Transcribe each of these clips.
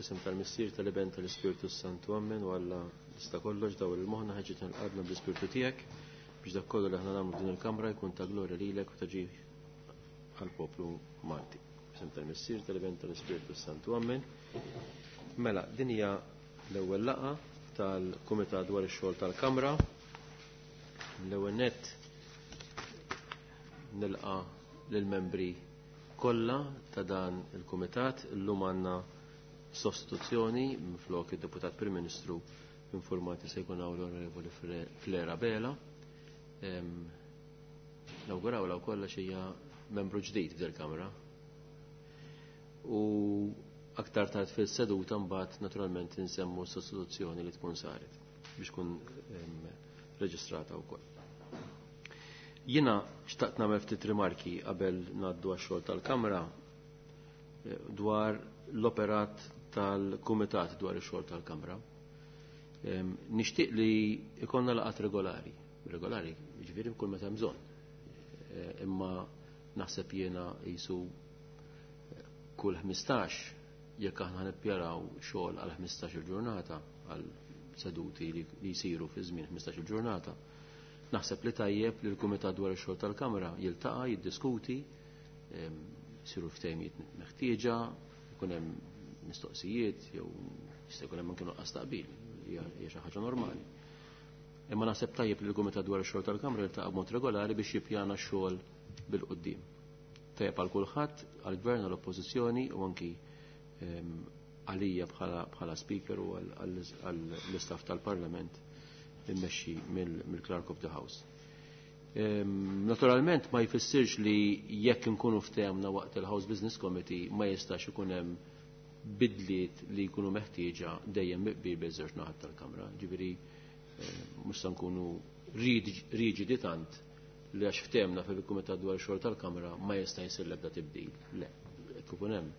F'isem tal-Missier, tal-Iben, tal-Ispirtu Santu, Ammen. U Alla tista' kollox dawl il-moħħna ħeġġitna l-qalbna bl-Ispirtu tiegħek biex dak kollu li aħna nagħmlu f'din il-kamra jkun ta' glorja lilek u ta' ġieħ għall-poplu Malti. F'isem tal-Missier, tal-Iben, tal-Ispirtu Santu, Ammen. Mela, din hija l-ewwel laqgħa tal-Kumitat dwar ix-xogħol tal-Kamra. L-ewwel nett nilqa' lill-membri kollha ta' dan il-Kumitat. Illum għandna sostituzzjoni minflok id-Deputat Prim Ministru informati se jkun hawn l-Onorevoli Flera Bela. Nawgurawlha wkoll għax hija membru ġdid f'dil kamra. U aktar tard fil-seduta mbagħad naturalment insemmu s-sostituzzjoni li tkun saret biex tkun reġistrata wkoll. Jiena xtaqt nagħmel ftit rimarki qabel ngħaddu għax-xogħol tal-Kamra dwar l-operat tal-Kumitat dwar ix-xogħol tal-Kamra. Nixtieq li ikonna laqat regolari, regolari, jiġifieri kull meta hemm bżonn. Imma naħseb jiena qisu kull 15 jekk aħna nippjaraw xogħol għal 15 il-ġurnata għal seduti li jsiru fi żmien 15 il-ġurnata. Naħseb li tajjeb li l-Kumitat dwar ix-xogħol tal-Kamra jiltaqa' jiddiskuti, jsiru ftehimiet meħtieġa, jkun hemm mistoqsijiet jew jista' jkun hemm anke nuqqas taqbil, hija xi ħaġa normali. Imma naħseb tajjeb li l-Kumitat dwar ix-xogħol tal-Kamra jiltaqa' b'mod regolari biex jippjana x-xogħol bil-quddiem. Tajjeb għal kulħadd, għall-Gvern, għall-Oppożizzjoni u anki għalija bħala speaker u għall-istaff tal-Parlament immexxi mill-Clerk of the House. Naturalment ma jfissirx li jekk inkunu ftehemna waqt il-House Business Committee ma jistax ikun hemm bidliet li jkunu meħtieġa dejjem miqbil bejn żewġ naħat tal-Kamra. Ġifieri mhux se nkunu riġidi tant li għax ftehemna fil-Kumitat dwar ix-xogħol tal-Kamra ma jista' jsir l-ebda tibdil. Le, jekk ikun hemm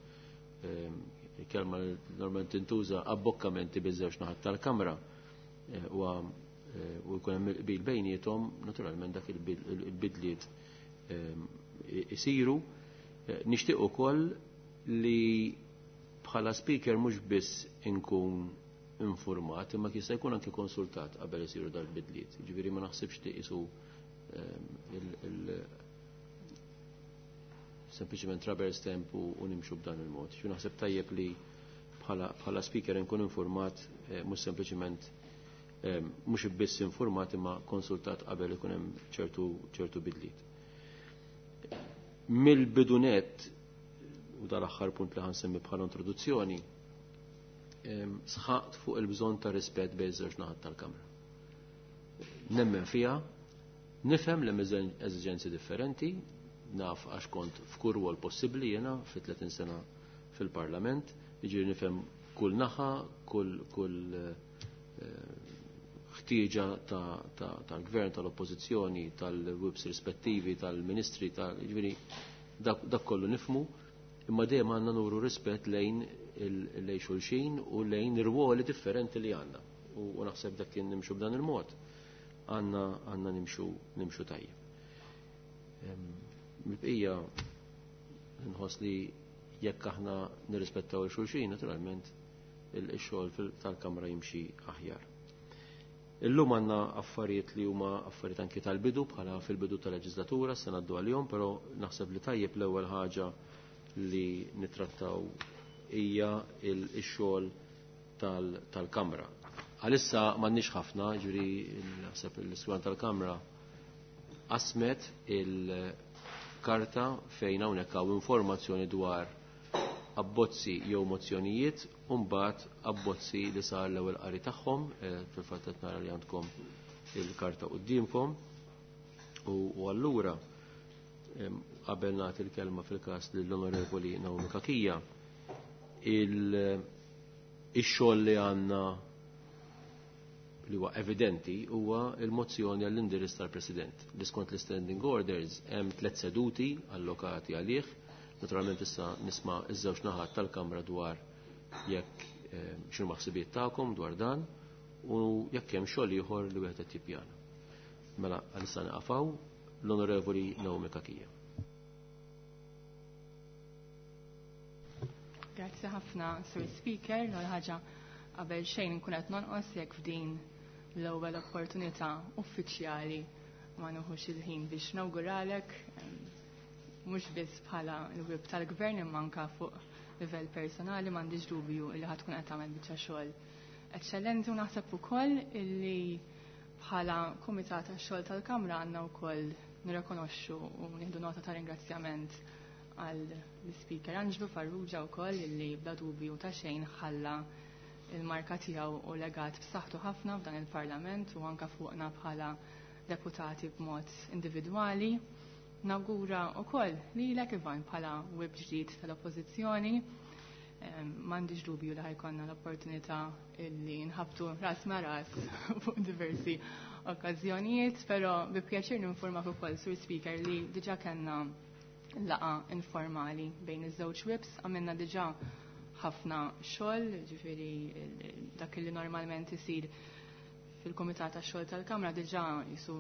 kelma li normalment tintuża abbokkamenti bejn żewġ naħat tal-Kamra u jkun hemm il-qbil bejniethom, naturalment dak il-bidliet isiru. Nixtieq ukoll li bħala speaker mhux biss inkun informat, imma jista' jkun anke konsultat qabel isiru dal-bidliet. Ġifieri ma naħsibx li qisu sempliċement rubber stamp u nimxu b'dan il-mod. Xi naħseb tajjeb li bħala speaker inkun informat, mhux sempliċement mhux biss informat imma konsultat qabel ikun hemm ċertu bidliet. Mill-bidunet, u dal-aħħar punt li ħansemmi bħala introduzzjoni, sħaqt fuq il-bżonn ta' rispett bejn żewġ naħat tal-Kamra. Nemmen fiha, nifhem li hemm eżiġenzi differenti, naf għax kont f'kull rwol possibbli jiena fi 30 sena fil-Parlament, jiġifieri nifhem kull naħa, kull ħtieġa tal-gvern, tal-oppożizzjoni, tal-whips rispettivi, tal-ministri, jiġifieri dak kollu nifhmu, imma dejjem għandna nuru rispett lejn lejn xulxin u lejn irwoli differenti li għandna. U naħseb dak kien nimxu b'dan il-mod, għandna nimxu tajjeb. Mill-bqija nħoss li jekk aħna nirrispettaw il-xulxin, naturalment il-xogħol tal-Kamra jimxi aħjar. Illum għandna affarijiet li huma affarijiet anki tal-bidu bħala fil-bidu tal-leġislatura se ngħaddu għalihom, però naħseb li tajjeb l-ewwel ħaġa li nittrattaw hija x-xogħol tal-Kamra. Għalissa m'għandniex ħafna, ġifieri naħseb l-iswan tal-Kamra qasmet il-karta fejn hawnhekk hawn informazzjoni dwar abbozzi jew mozzjonijiet u mbagħad abbozzi li sar l-ewwel qari tagħhom, fil-fatt qed nara li għandkom il-karta quddiemkom. U allura qabel nagħti l-kelma fil-każ lill-Onorevoli Naomi Cachia, ix-xogħol li għandna li huwa evidenti huwa l-mozzjoni għall-indirizz tal-President. Li skont l-Standing Orders hemm 3 seduti allokati għalih. Naturalment issa nisma' iż-żewġ naħat tal-Kamra dwar jekk x'inhu maħsibiet tagħkom dwar dan u jekk hemm xogħol ieħor li wieħed qed jippjana. Mela għalissa naqafaw l-Onorevoli Naomi Cachia. Grazzi ħafna, Sir Speaker. L-ewwel ħaġa qabel xejn nkun qed nonqos jekk f'din l-ewwel opportunità uffiċjali ma nieħux il-ħin biex nawguralek mhux biss bħala l-whip tal-gvern imma anke fuq livell personali m'għandix dubju li ħa tkun qed tagħmel biċċa xogħol eċċellenti u naħseb ukoll illi bħala kumitat tax-xogħol tal-Kamra għandna wkoll nirrikonoxxu u nieħdu nota ta' ringrazzjament għal l-Speaker Anġlu Farrugia wkoll illi bla dubju ta' xejn ħalla il-marka tiegħu u legat b'saħħtu ħafna f'dan il-Parlament u anke fuqna bħala deputati b'mod individwali. Nawgura wkoll lilek Ivan bħala whip ġdid tal-Oppożizzjoni. M'għandix dubju li ħa jkollna l-opportunità illi nħabtu ras ma' ras fuq diversi okkażjonijiet, però bi pjaċir ninformak ukoll, Sur Speaker, li diġà kellna laqgħa informali bejn iż-żewġ whips, għamilna diġà ħafna xogħol, ġifieri dak li normalment isir fil-Kumitat tax-xogħol tal-Kamra diġà jisu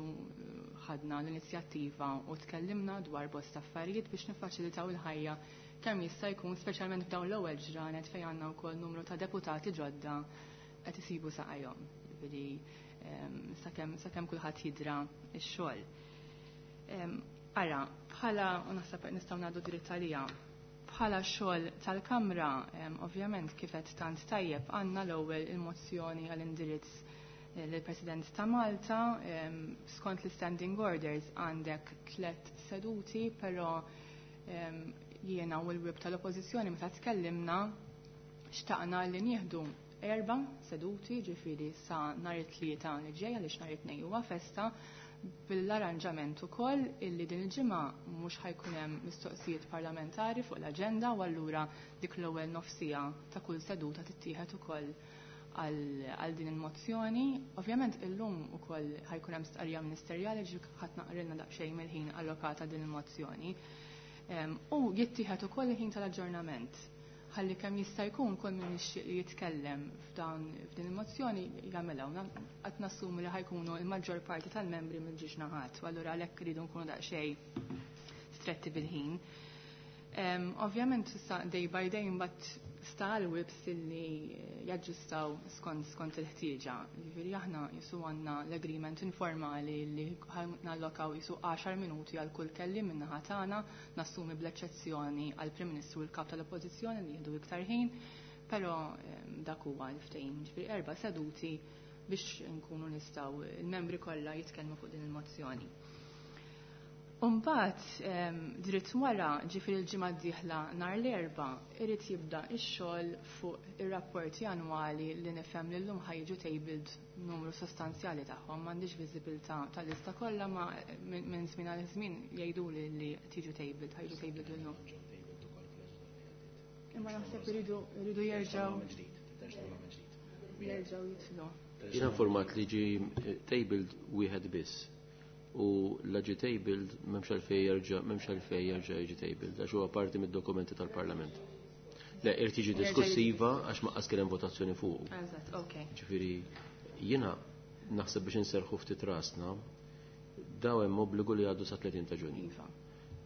ħadna l-inizjattiva u tkellimna dwar bosta affarijiet biex niffaċilitaw il-ħajja kemm jista' jkun, speċjalment f'dawn l-ewwel ġranet fejn għandna wkoll numru ta' deputati ġodda qed isibu saqajhom. Ġifieri sakemm kulħadd jidra x-xogħol. Ara, bħala, u naħseb nistgħu ngħaddu dritt għalija, bħala xogħol tal-Kamra, ovvjament kif qed tant tajjeb għandna l-ewwel il-mozzjoni għall-indirizz lill-President ta' Malta, skont l-standing orders għandek 3 seduti, però jiena u l-whip tal-Oppożizzjoni meta tkellimna xtaqna li nieħdu 4 seduti, ġifieri sa nhar it-tlieta li ġej għaliex nhar it-tnejn huwa festa, bil-arranġament ukoll illi din il-ġimgħa mhux ħajkun hemm mistoqsijiet parlamentari fuq l-aġenda u allura dik l-ewwel nofsija ta' kull seduta tittieħed ukoll għal din il-mozzjoni. Ovvjament illum ukoll ħajkun hemm stqarrija ministerjali ġi ħadd naqrilna daqsxejn mill-ħin allokata din il-mozzjoni. U jittieħed ukoll il-ħin tal-aġġornament. Ħalli kemm jista' jkun kull min jixtieq li jitkellem f'din il-mozzjoni jagħmilha. Qed nassumi li ħajkunu l-maġġor parti tal-membri mill-ġiex naħat, u allura għalhekk iridu nkunu daqsxejn stretti bil-ħin. Ovvjament issa day by day imbagħad sta għall-whips illi jaġġustaw skont il-ħtieġa. Jiġifieri aħna jisu għandna l-agreement informali li nallokaw jisu 10 minuti għal kull kelliem min-naħa tagħna, nassumi bl-eċċezzjoni għall Prim Ministru u l-Kap tal-Oppożizzjoni li jieħdu iktar ħin, però dak huwa l-ftehim. Jiġifieri 4 seduti biex nkunu nistgħu il-membri kollha jitkellmu fuq din il-mozzjoni. Umbagħad dritt wara, ġifieri l-ġimgħa d-dieħla nhar l-Erbgħa, irid jibda x-xogħol fuq ir-rapporti annwali li nifhem li llum ħajġu tabled numru sostanzjali tagħhom, m'għandix viżibilità tal-lista kollha, ma minn żmien għal żmien jgħiduli li tiġu tabled, ħajġu tabled illum. Imma naħseb iridu jerġgħu jitlu. Jiena informat li ġi tabled wieħed biss. U l-ġi tabled m'hemmx għalfejn jerġa', m'hemmx għalfejn jerġa' jiġi tabled għax huwa parti mid-dokumenti tal-Parlament. Le, irid jiġi diskussiva għax ma qas kien hemm votazzjoni fuq. Eżatt, ok. Ġifieri jiena naħseb biex inserħu ftit rasna, daw hemm obbligu li għaddu sa 30 ta' Ġunju. Iva.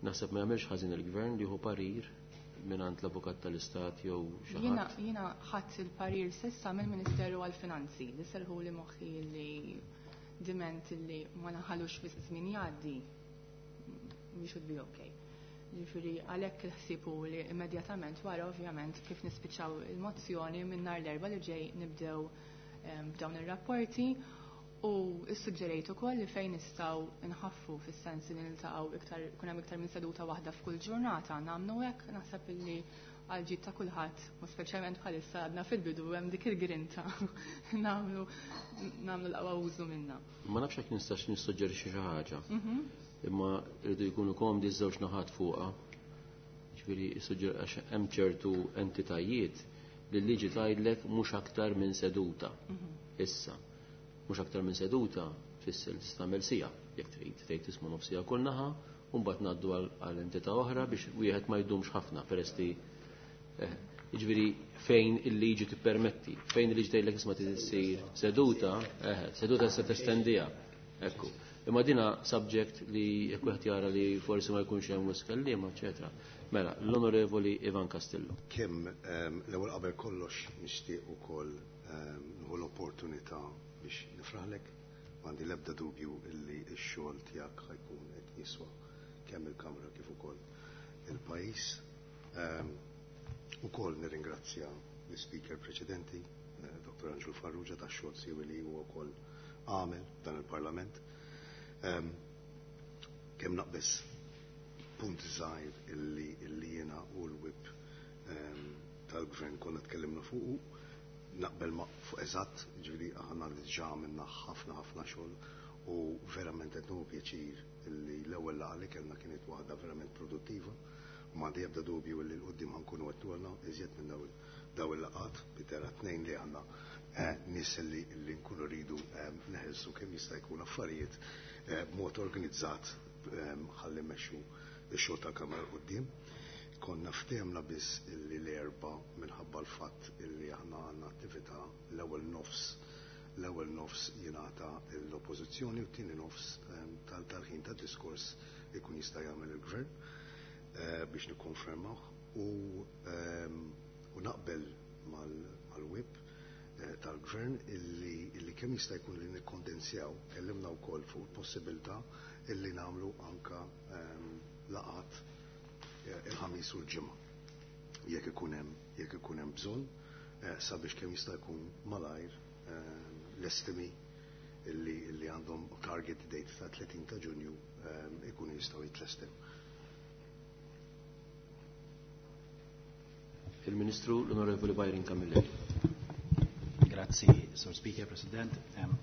Naħseb ma jagħmilx ħażin il-gvern li jieħu parir mingħand l-avukat tal-Istat jew xi Jiena ħadd. ħadd il-parir s'issa mill-Ministeru għall-Finanzi li serħu li moħħi li diment li ma naħalux fi żmien jgħaddi, we should be okay. Ġifieri għalhekk il-ħsieb hu li immedjatament wara ovvjament kif nispiċċaw il-mozzjoni minn nhar l-Erbgħa li ġej nibdew b'dawn ir-rapporti u ssuġġerejt ukoll li fejn nistgħu nħaffu fis-sens li niltaqgħu iktar, ikun hemm iktar minn seduta waħda f'kull ġurnata, nagħmlu hekk, naħseb illi għal ġid ta' kulħadd, u speċjalment bħalissa għadna fil-bidu hemm dik il-grinta nagħmlu l-aqwa użu minnha. Ma nafx jekk nistax nissuġġerixxi xi ħaġa. Imma rridu jkunu komdi ż-żewġ naħat fuqha. Ġifieri għax hemm ċertu entitajiet li l-liġi tgħidlek mhux aktar minn seduta. Issa, mhux aktar minn seduta tfisser li tagħmel sija jekk trid, tgħid tisma' nofsija kull naħa, u mbagħad ngħaddu għal entità oħra biex wieħed ma jdumx ħafna peress li jiġifieri fejn il-liġi tippermetti, fejn il-liġi tgħidlek isma' trid issir seduta, seduta se testendiha. Ekku. Imma dina subject li jekk wieħed jara li forsi ma jkunx hemm wisq kelliema, eċetera. Mela, l-Onorevoli Ivan Castillo. Kemm l-ewwel qabel kollox nixtieq ukoll nieħu l-opportunità biex nifraħlek. M'għandi l-ebda dubju illi x-xogħol tiegħek ħa jkun qed jiswa kemm il-Kamra kif ukoll il-pajjiż. Ukoll nirringrazzja l-speaker preċedenti, Dr. Angelo Farrugia, tax-xogħol siewi li huwa wkoll għamel dan il-Parlament. Kemm naqbeż punt żgħir illi jiena u l-whip tal-gvern konna tkellimna fuqu, naqbel ma fuq eżatt, ġifieri aħna diġà għamilna ħafna ħafna xogħol u verament qed nieħu pjaċir illi l-ewwel laqgħa li kellna kienet waħda verament produttiva u m'għandi ebda dubju illi l-quddiem ħankunu qed nagħmlu iżjed minn daw il-laqgħat bitera tnejn li għandna nies li nkunu rridu neħelsu kemm jista' jkun affarijiet b'mod organizzat ħalli mmexxu x-xogħol tal-Kamra 'l quddiem. Konna ftehemna biss illi l-Erbgħa minħabba l-fatt illi aħna għandna attività l-ewwel nofs jingħata l-oppożizzjoni u t-tieni nofs tal-ħin tad-diskors ikun jista' jagħmel il-gvern biex nikkonfermawh u naqbel mal-whip tal-gvern illi kemm jista' jkun li nikkondensjaw, kellimna wkoll fuq il-possibilità illi nagħmlu anka laqat il-Ħamis u l-Ġimgħa jekk ikun hemm bżonn sabiex kemm jista' jkun malajr l-estimi illi għandhom target date ta' 30 ta' Ġunju ikunu jistgħu jitlestew. Il-Ministru l-Onorevoli Byron Camilleri. Grazzi, Sur Speaker, President.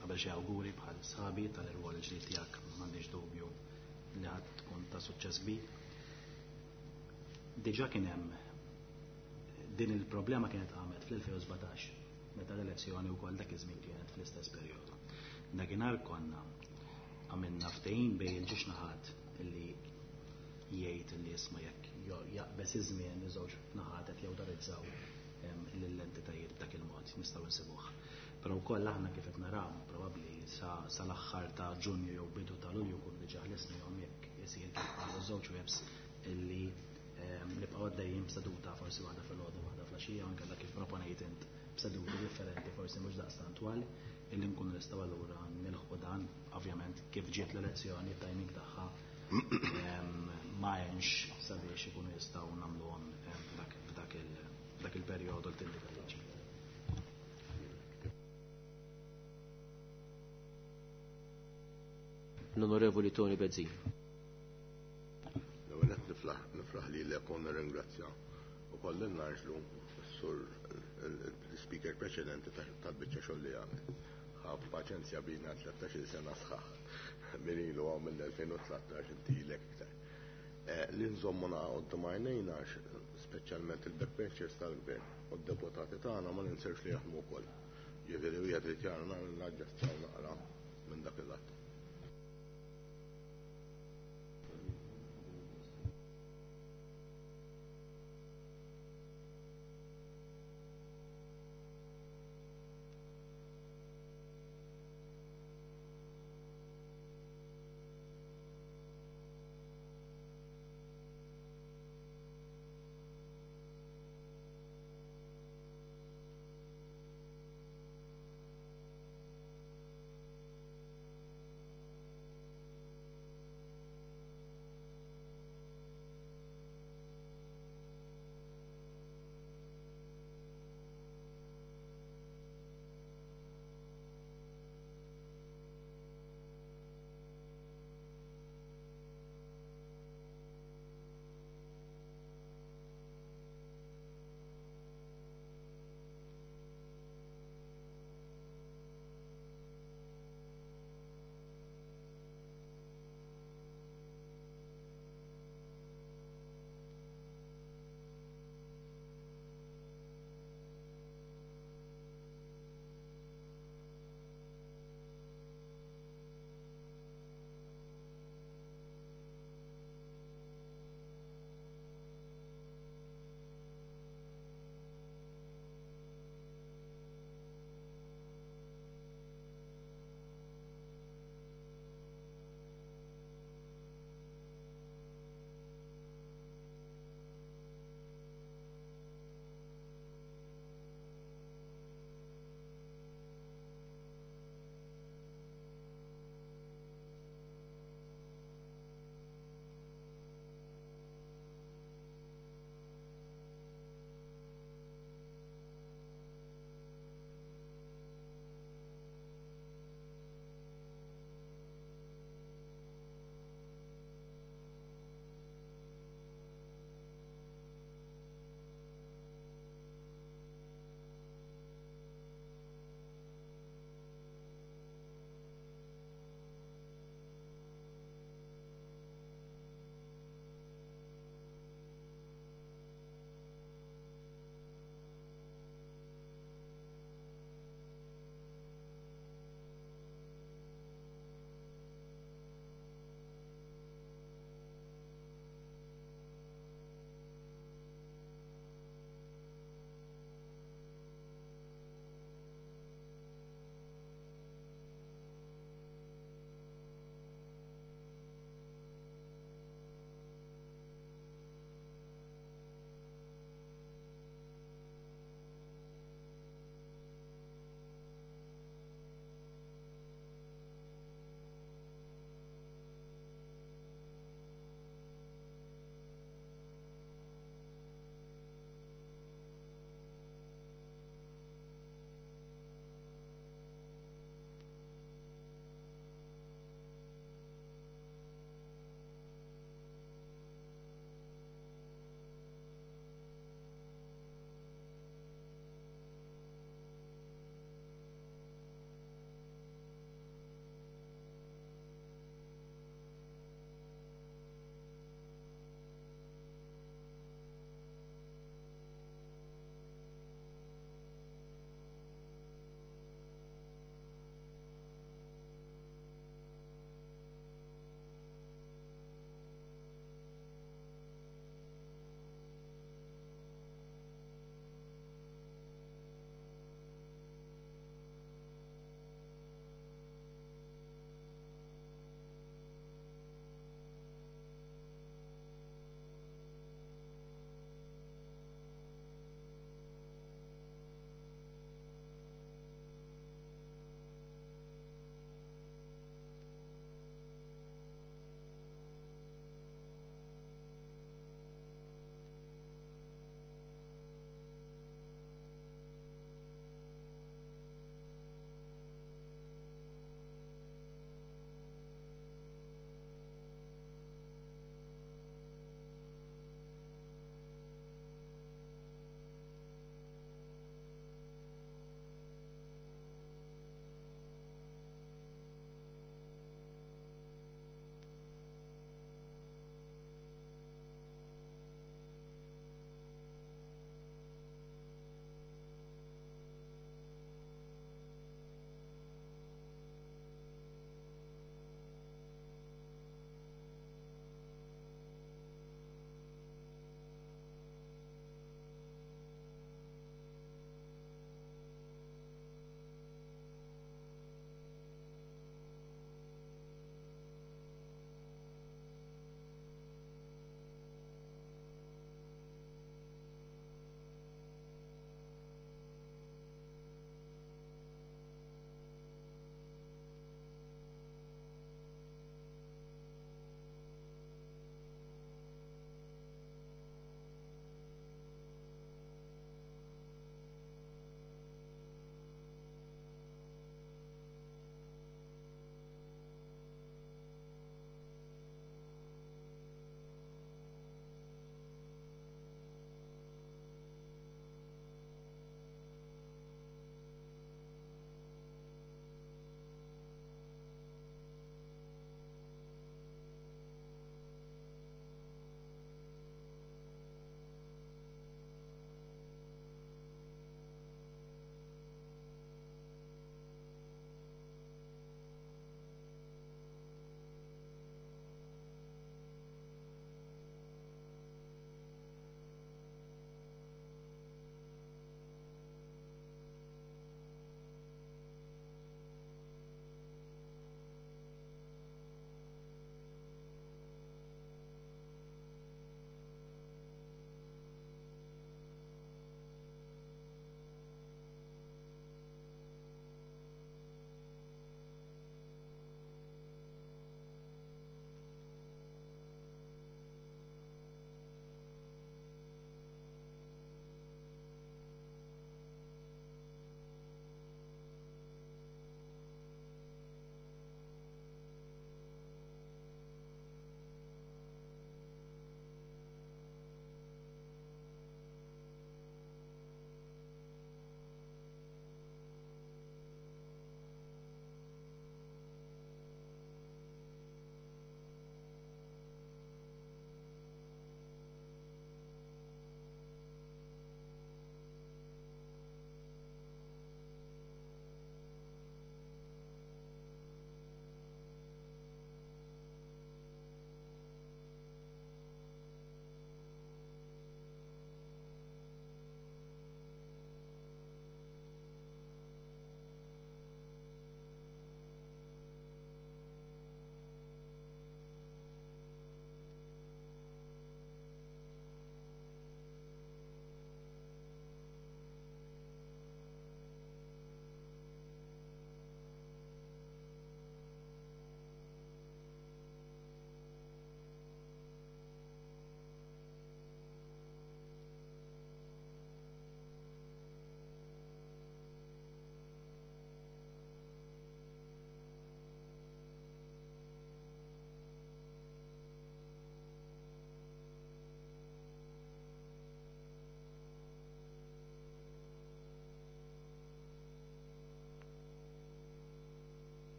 Qabel xi awguri bħal sħabi tal-irwol ġdid tiegħek, m'għandix dubju li ħadd tkun ta' suċċess kbir. Diġà kien hemm din il-problema kienet għamet fl-2017 meta l-elezzjoni wkoll dak iż-żmien kienet fl-istess perjodu. Dakinhar konna għamilna ftehim bejn il-ġiex naħat illi jgħid li isma' jekk jaqbeż iż-żmien li żewġ naħat qed jawtorizzaw lill-entitajiet b'dak il-mod nistgħu nsibuh. Però wkoll aħna kif qed naraw probabbli sal-aħħar ta' Ġunju jew bidu ta' Lulju kun diġà ħlisnihom jekk isir kif qalu żewġ webs illi nibqgħu għaddejjin b'seduta forsi waħda filgħodu waħda flaxija anke dak kif proponejt int b'seduti differenti forsi mhux daqstant twal illi nkunu nistgħu allura nilħqu dan ovvjament kif ġiet l-elezzjoni timing tagħha ma hemmx sabiex ikunu jistgħu nagħmluhom f'dak il-perjodu li tindika liġi. L-Onorevoli Tony Bezzin. L-ewwel qed nifraħ lilek u nirringrazzja ukoll lil Narġlu sur l-speaker preċedenti tal-biċċa xogħol li għamel. Ħa paċenzja bina 13-il sena sħaħ. Min ilu għaw mill-2013 inti ilek iktar. Li nżommu naqgħod għajnejna speċjalment il-backbenchers tal-gvern u d-deputati tagħna ma ninsewx li jaħdmu wkoll. Ġifieri wieħed irid jara naġġestjaw naqra minn dak il-lat.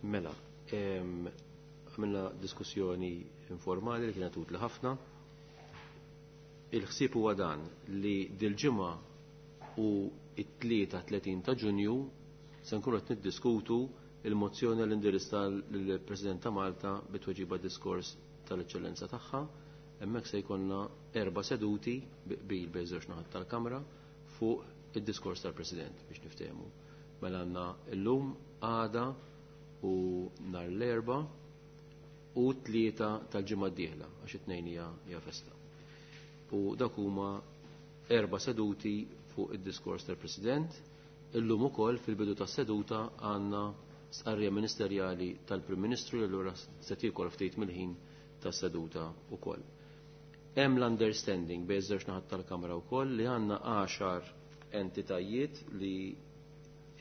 Mela, għamilna diskussjoni informali li kienet utli ħafna. Il-ħsieb huwa dan li dil-ġimgħa u it-tlieta 30 ta' Ġunju se nkunu qed niddiskutu il-mozzjoni l-indirizz tal-President ta' Malta bit-tweġiba diskors tal-Eċċellenza tagħha. Hemmhekk se jkollna erba' seduti bil bejn żewġ naħat tal-Kamra fuq id-diskors tal-President biex niftehmu. Mela għandna llum għada u nhar l-erba' u tlieta tal-ġimgħa d-dieħla għax it-tnejn hija festa. U dak huma erba' seduti fuq id-diskors tal-President. Illum ukoll fil-bidu tas-seduta għandna stqarrija ministerjali tal-Prim Ministru li allura se tiekol ftit mill-ħin tas-seduta wkoll. Hemm l-understanding bejn żewġ naħat tal-Kamra wkoll li għandna 10 entitajiet li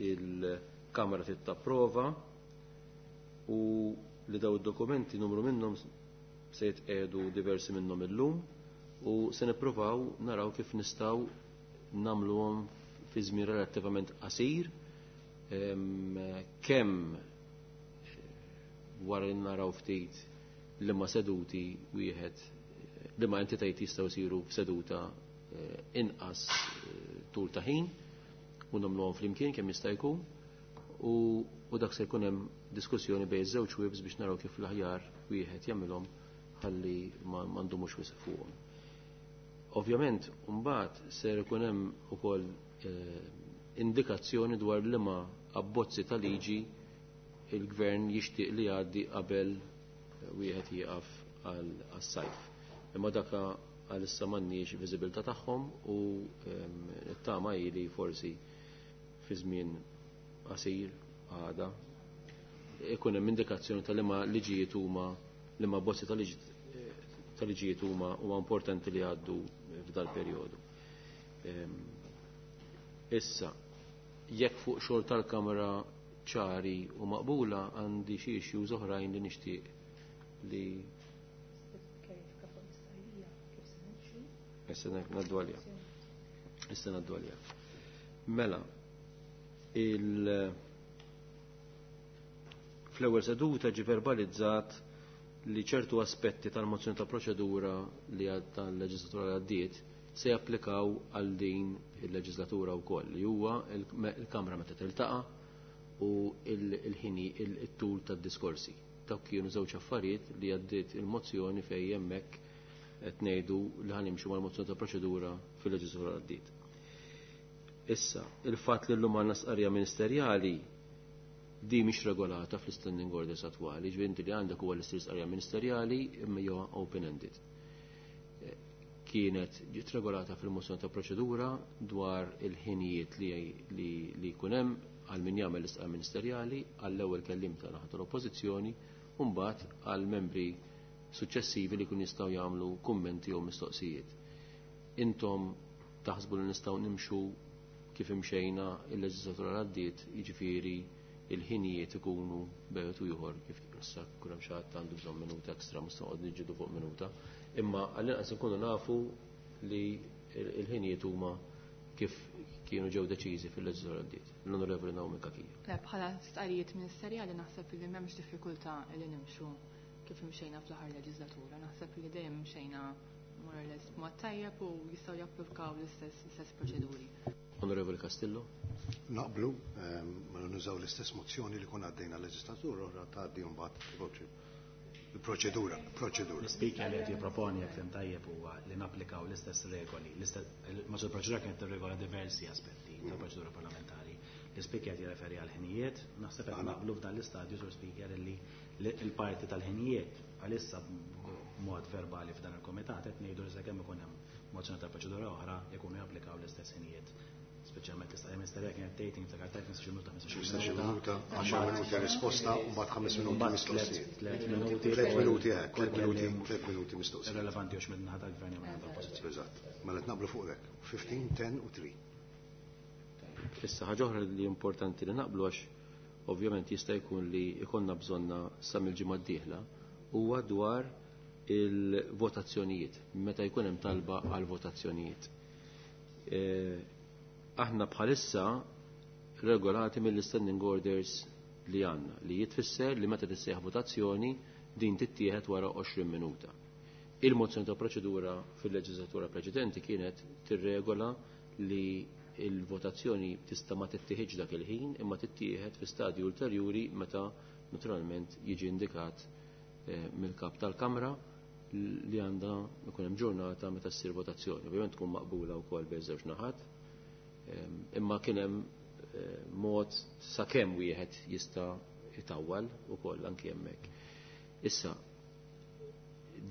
il-Kamra tittapprova u li daw id-dokumenti numru minnhom se jitqiegħdu diversi minnhom illum u se nippruvaw naraw kif nistgħu nagħmluhom fi żmien relattivament qasir kemm wara li naraw ftit li ma seduti wieħed li ma entitajiet jistgħu jsiru f'seduta inqas tul ta' ħin u nagħmluhom flimkien kemm jista' jkun u dak se jkun hemm diskussjoni bejn iż-żewġ webs biex naraw kif l-aħjar wieħed jagħmilhom ħalli ma ndumux wisq fuqhom. Ovvjament, mbagħad ser ikun hemm ukoll indikazzjoni dwar liema abbozzi ta' liġi il-gvern jixtieq li jgħaddi qabel wieħed jieqaf għas-sajf. Imma daka għalissa m'għandniex viżibilità tagħhom u t-tama hi li forsi fi żmien qasir għada ikun hemm indikazzjoni ta' liema liġijiet huma liema bozzi ta' liġijiet huma huwa importanti li jgħaddu f'dal perjodu. Issa, jekk fuq xogħol tal-Kamra ċari u maqbula għandi xi issues oħrajn li nixtieq li Issa ngħaddu għalija. Issa ngħaddu għalija. Mela, fl-ewwel seduta ġie verbalizzat li ċertu aspetti tal-mozzjoni ta' proċedura li tal-leġislatura li għaddiet se japplikaw għal din il-leġislatura wkoll li huwa il-Kamra meta tiltaqa' u il-ħini il-tul tad-diskorsi. Dawk kienu żewġ affarijiet li għaddiet il-mozzjoni fejn hemmhekk qed ngħidu li ħanimxu mal-mozzjoni ta' proċedura fil-leġislatura għaddiet. Issa, il-fatt li llum għandna stqarrija ministerjali di mhix regolata fl-standing orders attwali, ġifieri inti li għandek huwa l-istess stqarrija ministerjali imma hija open-ended. Kienet ġiet regolata fil-mozzjoni ta' proċedura dwar il-ħinijiet li jkun hemm għal min jagħmel l-istqarrija ministerjali għall-ewwel kelliem ta' naħa tal-Oppożizzjoni u mbagħad għal membri suċċessivi li kun jistgħu jagħmlu kummenti jew mistoqsijiet. Intom taħsbu li nistgħu nimxu kif imxejna il-leġislatura li għaddiet, jiġifieri il-ħinijiet ikunu bejgħet u ieħor kif issa kull hemm xi ħadd għandu bżonn minuta ekstra mhux noqgħod niġġieldu fuq minuta, imma għall-inqas inkunu nafu li il-ħinijiet huma kif kienu ġew deċiżi fil-leġislatura għaddiet. L-Onorevoli Naomi Cachia. Le, bħala stqarrijiet ministerjali naħseb li m'hemmx diffikultà li nimxu kif imxejna fl-aħħar leġislatura. Naħseb li dejjem imxejna more or less b'mod tajjeb u jistgħu japplikaw l-istess proċeduri. Onorevoli Castillo. Naqblu, ma nużaw l-istess mozzjoni li konna għaddejna l-leġislatura oħra tgħaddi mbagħad il-proċedura, proċedura. L-speaker li qed jipproponi jekk fim tajjeb huwa li napplikaw l-istess regoli, l-istess proċedura kienet tirregola diversi aspetti tal-proċedura parlamentari. L-speaker qed jirreferi għal ħinijiet, naħseb qed naqblu f'dan l-istadju sur speaker li l-parti tal-ħinijiet għalissa b'mod verbali f'dan il-komitat qed ngħidu li sakemm ikun hemm mozzjoni ta' proċedura oħra jkunu japplikaw l-istess ħinijiet. Speċjalment l-istqarrija ministerjali kienet tgħid niftakar tajt 15 minuta, 15 minuta, 10 minuti risposta u mbagħad 5 minuti mistoqsijiet. 3 minuti. 3 minuti hekk, 3 minuti, 3 minuti mistoqsijiet. Irrelevanti għax minn naħa tal-gvern jew minn naħa tal-oppożizzjoni. Eżatt. Mela qed naqblu fuq hekk. 15, 10 u 3. Issa ħaġa oħra li importanti li naqblu għax ovvjament jista' jkun li jkollna bżonna sa mill-ġimgħa d-dieħla huwa dwar il-votazzjonijiet, meta jkun hemm talba għal votazzjonijiet. Aħna bħalissa regolati mill-standing orders li għandna li jitfisser li meta tissejjaħ votazzjoni din tittieħed wara 20 minuta. Il-mozzjoni ta' proċedura fil-leġislatura preċedenti kienet tirregola li il-votazzjoni tista' ma tittieħedx dak il-ħin imma tittieħed fi stadju ulterjuri meta naturalment jiġi indikat mill-kap tal-Kamra li għandha ikun hemm ġurnata meta ssir votazzjoni. Ovvjament tkun maqbula wkoll bejn żewġ naħat, imma kien hemm mod sakemm wieħed jista' jitawwal ukoll anki hemmhekk. Issa,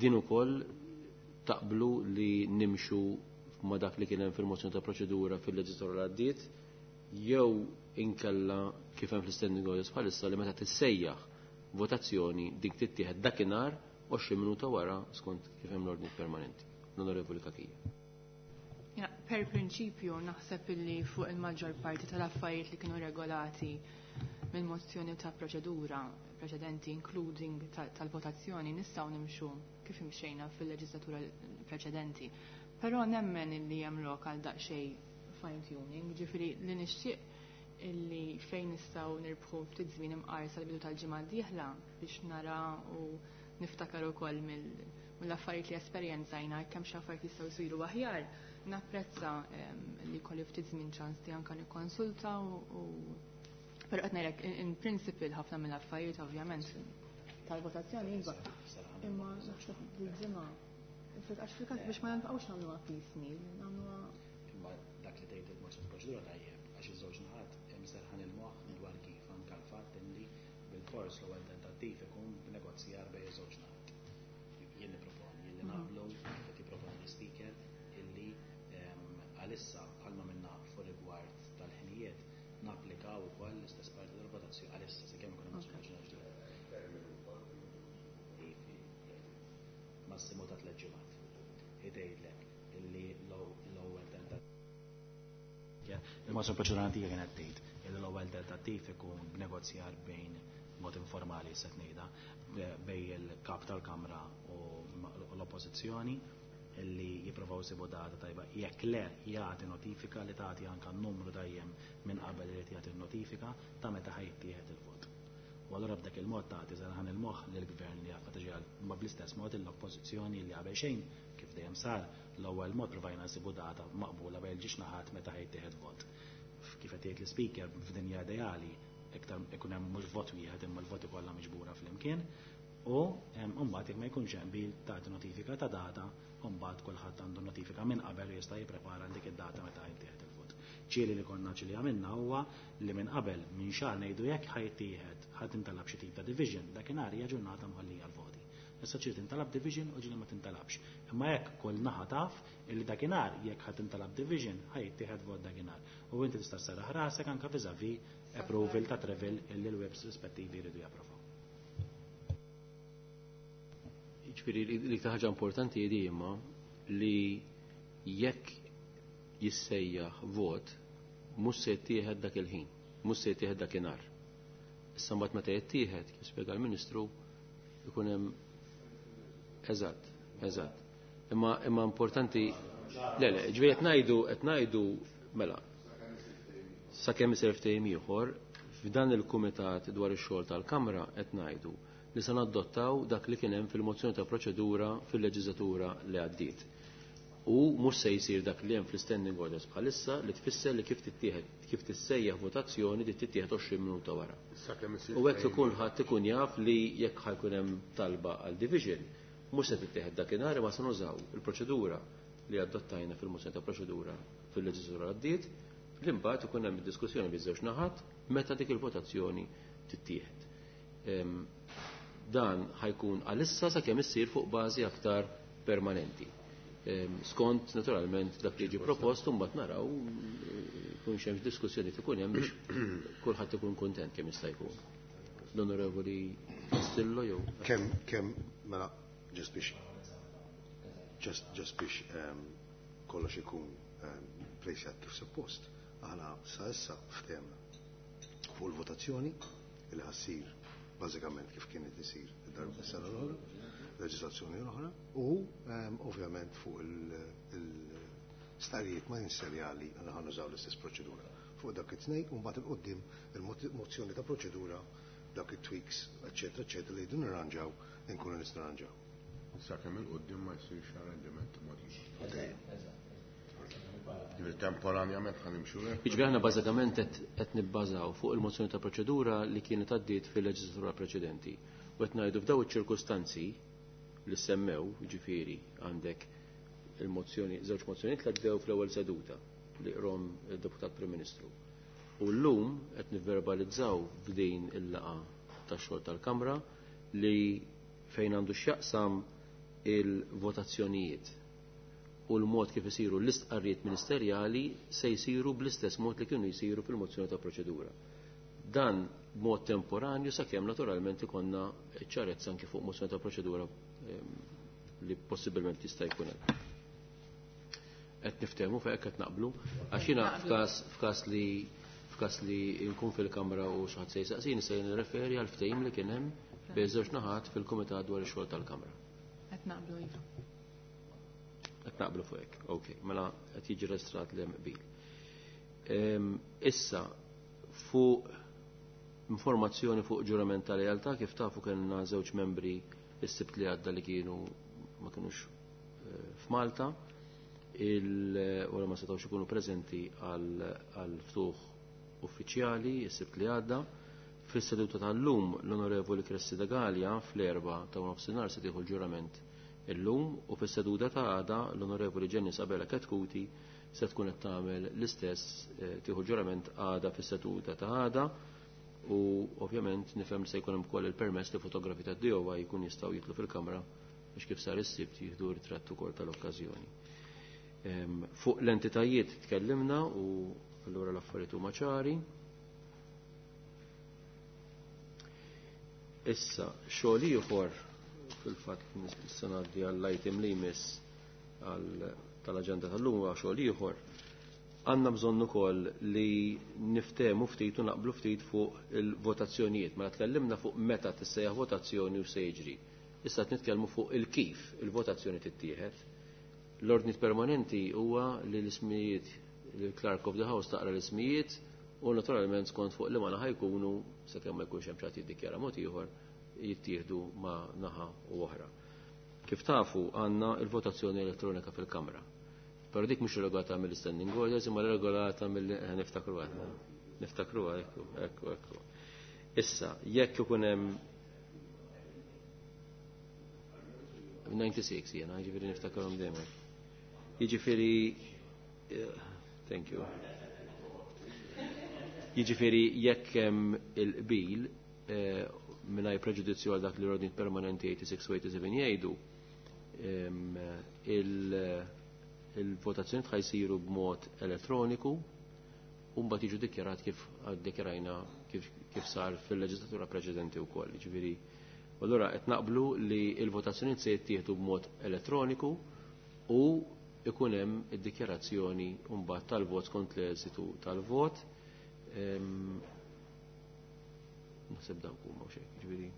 din ukoll taqblu li nimxu ma dak li kien hemm fil-mozzjoni ta' proċedura fil-leġislatura li għaddiet, jew inkella kif hemm fl-standing orders bħalissa li meta tissejjaħ votazzjoni dik tittieħed dakinhar 20 minuta wara skont kif hemm l-ordni permanenti. L-Onorevoli Cachia. Ja, per prinċipju naħseb illi fuq il-maġġor parti tal-affarijiet li kienu regolati mill-mozzjoni ta' proċedura preċedenti, including tal-votazzjoni, nistgħu nimxu kif imxejna fil-leġislatura preċedenti. Però nemmen illi hemm lok għal daqsxejn fine tuning, ġifieri li nixtieq illi fejn nistgħu nirbħu ftit żmien imqar sal-bidu tal-ġimgħa d-dieħla biex nara u niftakar ukoll mill-affarijiet li esperjenzajna kemm xi affarijiet jistgħu jsiru aħjar. Napprezza li kolli ftit żmien ċans li anke nikkonsulta u però qed ngħidlek in principle ħafna mill-affarijiet ovvjament tal-votazzjoni iva. Imma naħseb bil-ġimgħa għax fil-każ biex ma nbqgħux nagħmluha piecemeal, nagħmluha. Imma dak li tgħid il-mozzjoni proċedura tajjeb għax iż-żewġ naħat hemm serħan il-moħħ dwar kif anke l-fatt li bil-fors l-ewwel tentattiv ikun b'negozjar bejn iż-żewġ naħat. Jien nipproponi, jien li naqblu kif qed jipproponi l-ispeaker illi għalissa bħalma minna fuq rigward tal-ħinijiet napplikaw ukoll l-istess parti tal-votazzjoni għalissa sakemm ikun hemm mozzjoni ġdida. Massimu ta' 3 ġimgħat. Idejlek illi l-ewwel tentattiv. Il-mozzjoni proċedura antika kienet tgħid illi l-ewwel tentattiv ikun b'negozjar bejn mod informali se ngħidha bejn il-kap tal-Kamra u l-Oppożizzjoni illi jipprovaw isibu data tajba. Jekk le jagħti notifika li tagħti anke n-numru dejjem minn qabel irid jagħti notifika ta' meta ħajtieħed il-vot. U allura b'dak il-mod tagħti serħan il-moħħ lill-gvern li jaf tiġi ma bl-istess mod l-oppożizzjoni li qabel xejn kif dejjem sar l-ewwel mod provajna nsibu data maqbula bejn ġiex naħat meta ħajtieħed vot. Kif qed jgħid l-ispeaker f'dinja ideali iktar ikun hemm mhux vot wieħed imma l-voti kollha miġbura flimkien u mbagħad jekk ma jkunx hemm bil tagħti notifika ta' data u mbagħad kulħadd għandu notifika minn qabel u jista' jipprepara dik id-data meta jittieħed il-vot. Ċieli li konna ċili għamilna huwa li minn qabel minn xahar ngħidu jekk ħajtieħed ħadd intalab xi tip ta' division dakinhar hija ġurnata mħollija l-voti. Issa ċieli tintalab division u ġieli ma tintalabx. Imma jekk kull naħa taf illi dakinhar jekk ħadd intalab division ħajtieħed vot dakinhar. U inti tista' sserraħ rasek anke vis-à-vis approval ta' travel illi l-webs rispettivi jridu japprovaw. Jiġifieri l-iktar ħaġa importanti hi imma li jekk jissejjaħ vot mhux se jittieħed dak il-ħin, mhux se jittieħed dakinhar. Issa mbagħad meta jittieħed, kif spjega l-Ministru, ikun hemm eżatt, eżatt. Imma importanti, le, le, ġifieri qed ngħidu mela sakemm isir ftehim ieħor f'dan il-kumitat dwar ix-xogħol tal-Kamra qed ngħidu li se nadottaw dak li kien hemm fil-mozzjoni ta' proċedura fil-leġislatura li għaddiet. U mhux se jsir dak li hemm fl-standing orders bħalissa li tfisser li kif tittieħed, kif tissejjaħ votazzjoni li tittieħed 20 minuta wara. U hekk ikun ħadd ikun jaf li jekk ħajkun hemm talba għal division, mhux se tittieħed dakinhar imma se nużaw il-proċedura li adottajna fil-mozzjoni ta' proċedura fil-leġislatura għaddiet, li mbagħad ikun hemm id-diskussjoni biż-żewġ naħat meta dik il-votazzjoni tittieħed. Dan ħajkun għalissa sakemm issir fuq bażi aktar permanenti. Skont naturalment dak li jiġi propost u mbagħad naraw kun xemx diskussjoni ikun hemm biex kulħadd ikun kuntent kemm jista' jkun. L-Onorevoli Castillo jew Kemm mela just biex just biex kollox ikun plejsjat kif suppost. Aħna sa issa ftehemna fuq il-votazzjoni li ħassir bażikament kif kienet isir id-darba s-sena l-oħra, leġislazzjoni l-oħra, u ovvjament fuq il-starijiet ministerjali għandna ħa nużaw l-istess proċedura. Fuq dak it-tnejn u mbagħad il-qudiem il-mozzjoni ta' proċedura Dawk it-tweaks, eċetera, eċetera, li jridu nirranġaw, inkunu nistgħu nirranġaw. Sakemm 'il quddiem ma jsirx arranġament mod ieħor. Ġifieri temporanjament ħa nimxu hekk. Jiġifieri aħna bażikament qed nibbażaw fuq il-mozzjoni ta' proċedura li kienet għaddiet fil-leġislatura preċedenti. U qed ngħidu f'daw iċ-ċirkustanzi li semmew, jiġifieri għandek il-mozzjoni, żewġ mozzjonijiet li għaddew fl-ewwel seduta li qrom il-Deputat Prim Ministru. U llum qed nivverbalizzaw f'din il-laqgħa tax-xogħol tal-Kamra li fejn għandu x'jaqsam il-votazzjonijiet u l-mod kif isiru l-istqarrijiet ministerjali se jsiru bl-istess mod li kienu jsiru fil-mozzjoni ta' proċedura. Dan b'mod temporanju sakemm naturalment ikonna ċarezza anke fuq mozzjoni ta' proċedura li possibilment jista' jkun hemm. Qed niftehmu fejn qed naqblu, għax jiena f'każ li nkun fil-Kamra u xi ħadd se jsaqsini se nirreferi għal ftehim li kien hemm bejn żewġ naħat fil-Kumitat dwar ix-xogħol tal-Kamra. Qed naqblu iva. Qed naqblu fuq hekk, ok, mela qed jiġi reġistrat li hemm qbil. Issa fuq informazzjoni fuq ġurament ta' lealtà, kif tafu kellna żewġ membri s-sibt li għadda li kienu ma kinux f'Malta, u ma setgħux ikunu preżenti għal ftuħ uffiċjali s-sibt li għadda. Fis-seduta tal-lum l-Onorevoli Cressida Galea fl-4 ta' nofsinhar se tieħu l-ġurament illum, u fis-seduta ta' għada l-Onorevoli Jenny Sabella Chetcuti se tkun qed tagħmel l-istess, tieħu ġurament għada fis-seduta ta' għada, u ovvjament nifhem se jkun hemm ukoll il-permess li fotografi tad-DOI jkun jistgħu jitlu fil-kamra biex kif sar is-sibt jieħdu ritratt ukoll tal-okkażjoni. Fuq l-entitajiet tkellimna u allura l-affarijiet huma ċari. Issa, xogħol ieħor fil-fatt nista' ngħaddi għall-item li jmiss tal-aġenda tal-lum huwa xogħol ieħor. Għandna bżonn ukoll li niftehmu ftit u naqblu ftit fuq il-votazzjonijiet. Mela tkellimna fuq meta tissejjaħ votazzjoni u se jiġri. Issa qed nitkellmu fuq il-kif il-votazzjoni tittieħed. L-ordni permanenti huwa li l-ismijiet, il-Clerk of the House taqra l-ismijiet u naturalment skont fuq li ma naħa jkunu, sakemm ma jkunx hemm xi ħadd jiddikjara mod ieħor, jittieħdu ma naħa u oħra. Kif tafu għandna il-votazzjoni elettronika fil-Kamra. Però dik mhux regolata mill-standing orders, imma regolata mill niftakru għadna. Niftakru ekku, ekku, ekku. Issa, jekk ikun hemm 96 jiena, jiġifieri niftakarhom dejjem. Jiġifieri thank you. Jiġifieri jekk hemm il-qbil mingħajr preġudizzju għal dak li l-ordni permanenti 86 u 87 jgħidu, il-votazzjoni ħajsiru b'mod elettroniku u mbagħad jiġu dikjarat kif dikjarajna kif sar fil-leġislatura preċedenti wkoll. Jiġifieri, allura qed naqblu li l-votazzjoni se jittieħdu b'mod elettroniku u ikun hemm id-dikjarazzjoni mbagħad tal-vot skont l-eżitu tal-vot. Naħseb dawk huma xejn, jiġifieri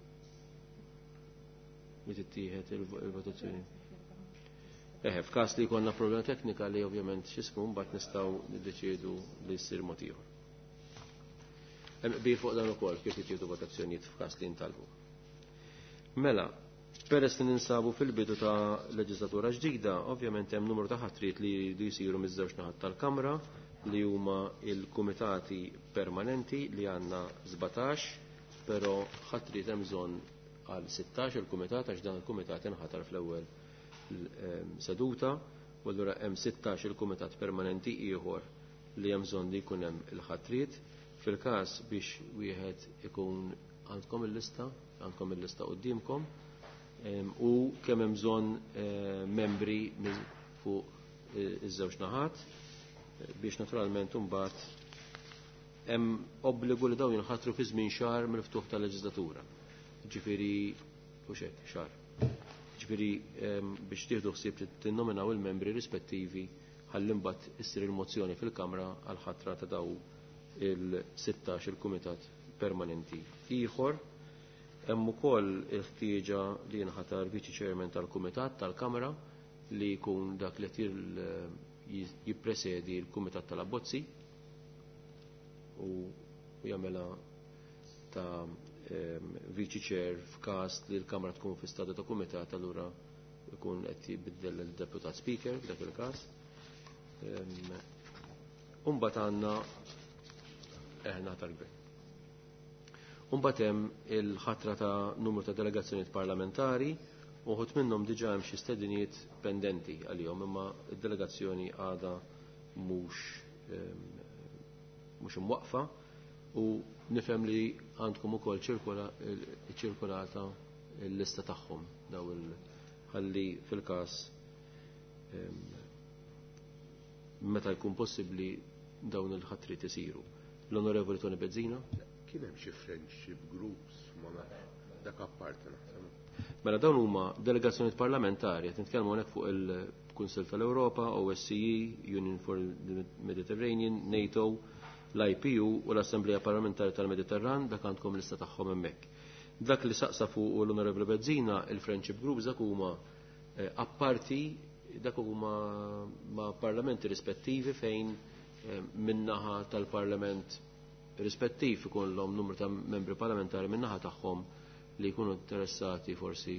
li tittieħed il-votazzjoni. Eħe, f'każ li jkollna problema teknika li ovvjament x'ismu mbagħad nistgħu niddeċiedu li jsir mod ieħor. Hemm qbil fuq dan ukoll kif jittieħdu votazzjonijiet f'każ li jintalbu. Mela, peress li ninsabu fil-bidu ta' leġislatura ġdida, ovvjament hemm numru ta' ħatriet li jridu jsiru miż-żewġ naħat tal-Kamra li huma il-kumitati permanenti li għandna 17, però ħatriet hemm bżonn għal 16 il-kumitat għax dan il-kumitat inħatar fl-ewwel seduta, u allura hemm 16 il-kumitat permanenti ieħor li hemm bżonn li jkun hemm il-ħatriet. Fil-każ biex wieħed ikun għandkom il-lista, għandkom il-lista quddiemkom, u kemm hemm bżonn membri fuq iż-żewġ naħat biex naturalment imbagħad hemm obbligu li dawn jinħatru fi żmien xahar mill-ftuħ tal-leġislatura. Ġifieri u xek, xahar. Ġifieri biex tieħdu ħsieb tinnominaw il-membri rispettivi ħalli mbagħad issir il-mozzjoni fil-Kamra għal ħatra ta' daw il-16 il-kumitat permanenti ieħor. Hemm ukoll il-ħtieġa li jinħatar viċi chairman tal-Kumitat tal-Kamra li jkun dak li jippresedi l-Kumitat tal-Abbozzi u jagħmilha ta' viċi chair f'każ li l-Kamra tkun fi stadu ta' kumitat allura ikun qed jibiddel il-deputat speaker f'dak il-każ. Umbagħad għandna eħna tal-gvern. Umbagħad hemm il-ħatra ta' numru ta' delegazzjonijiet parlamentari uħut minnhom diġà hemm xi stedinijiet pendenti għalihom imma d-delegazzjoni għadha mhux mhux imwaqfa u nifhem li għandkom ukoll ċirkolata l-lista tagħhom daw il ħalli fil-każ meta jkun possibbli dawn il-ħatriet isiru. L-Onorevoli Tony Bezzina? Kien hemm xi friendship groups ma nafx dak apparti naħseb. Mela dawn huma delegazzjonijiet parlamentari qed nitkellmu hawnhekk fuq il-Kunsill tal-Ewropa, OSCE, Union for the Mediterranean, NATO, l-IPU u l-Assemblea Parlamentari tal-Mediterran dak għandkom lista tagħhom hemmhekk. Dak li saqsa fuq l-Onorevoli Bezzina, il-Friendship Groups dak huma apparti dak huma ma' parlamenti rispettivi fejn minnaħa tal-parlament rispettiv ikollhom numru ta' membri parlamentari minnaħa tagħhom li jkunu interessati forsi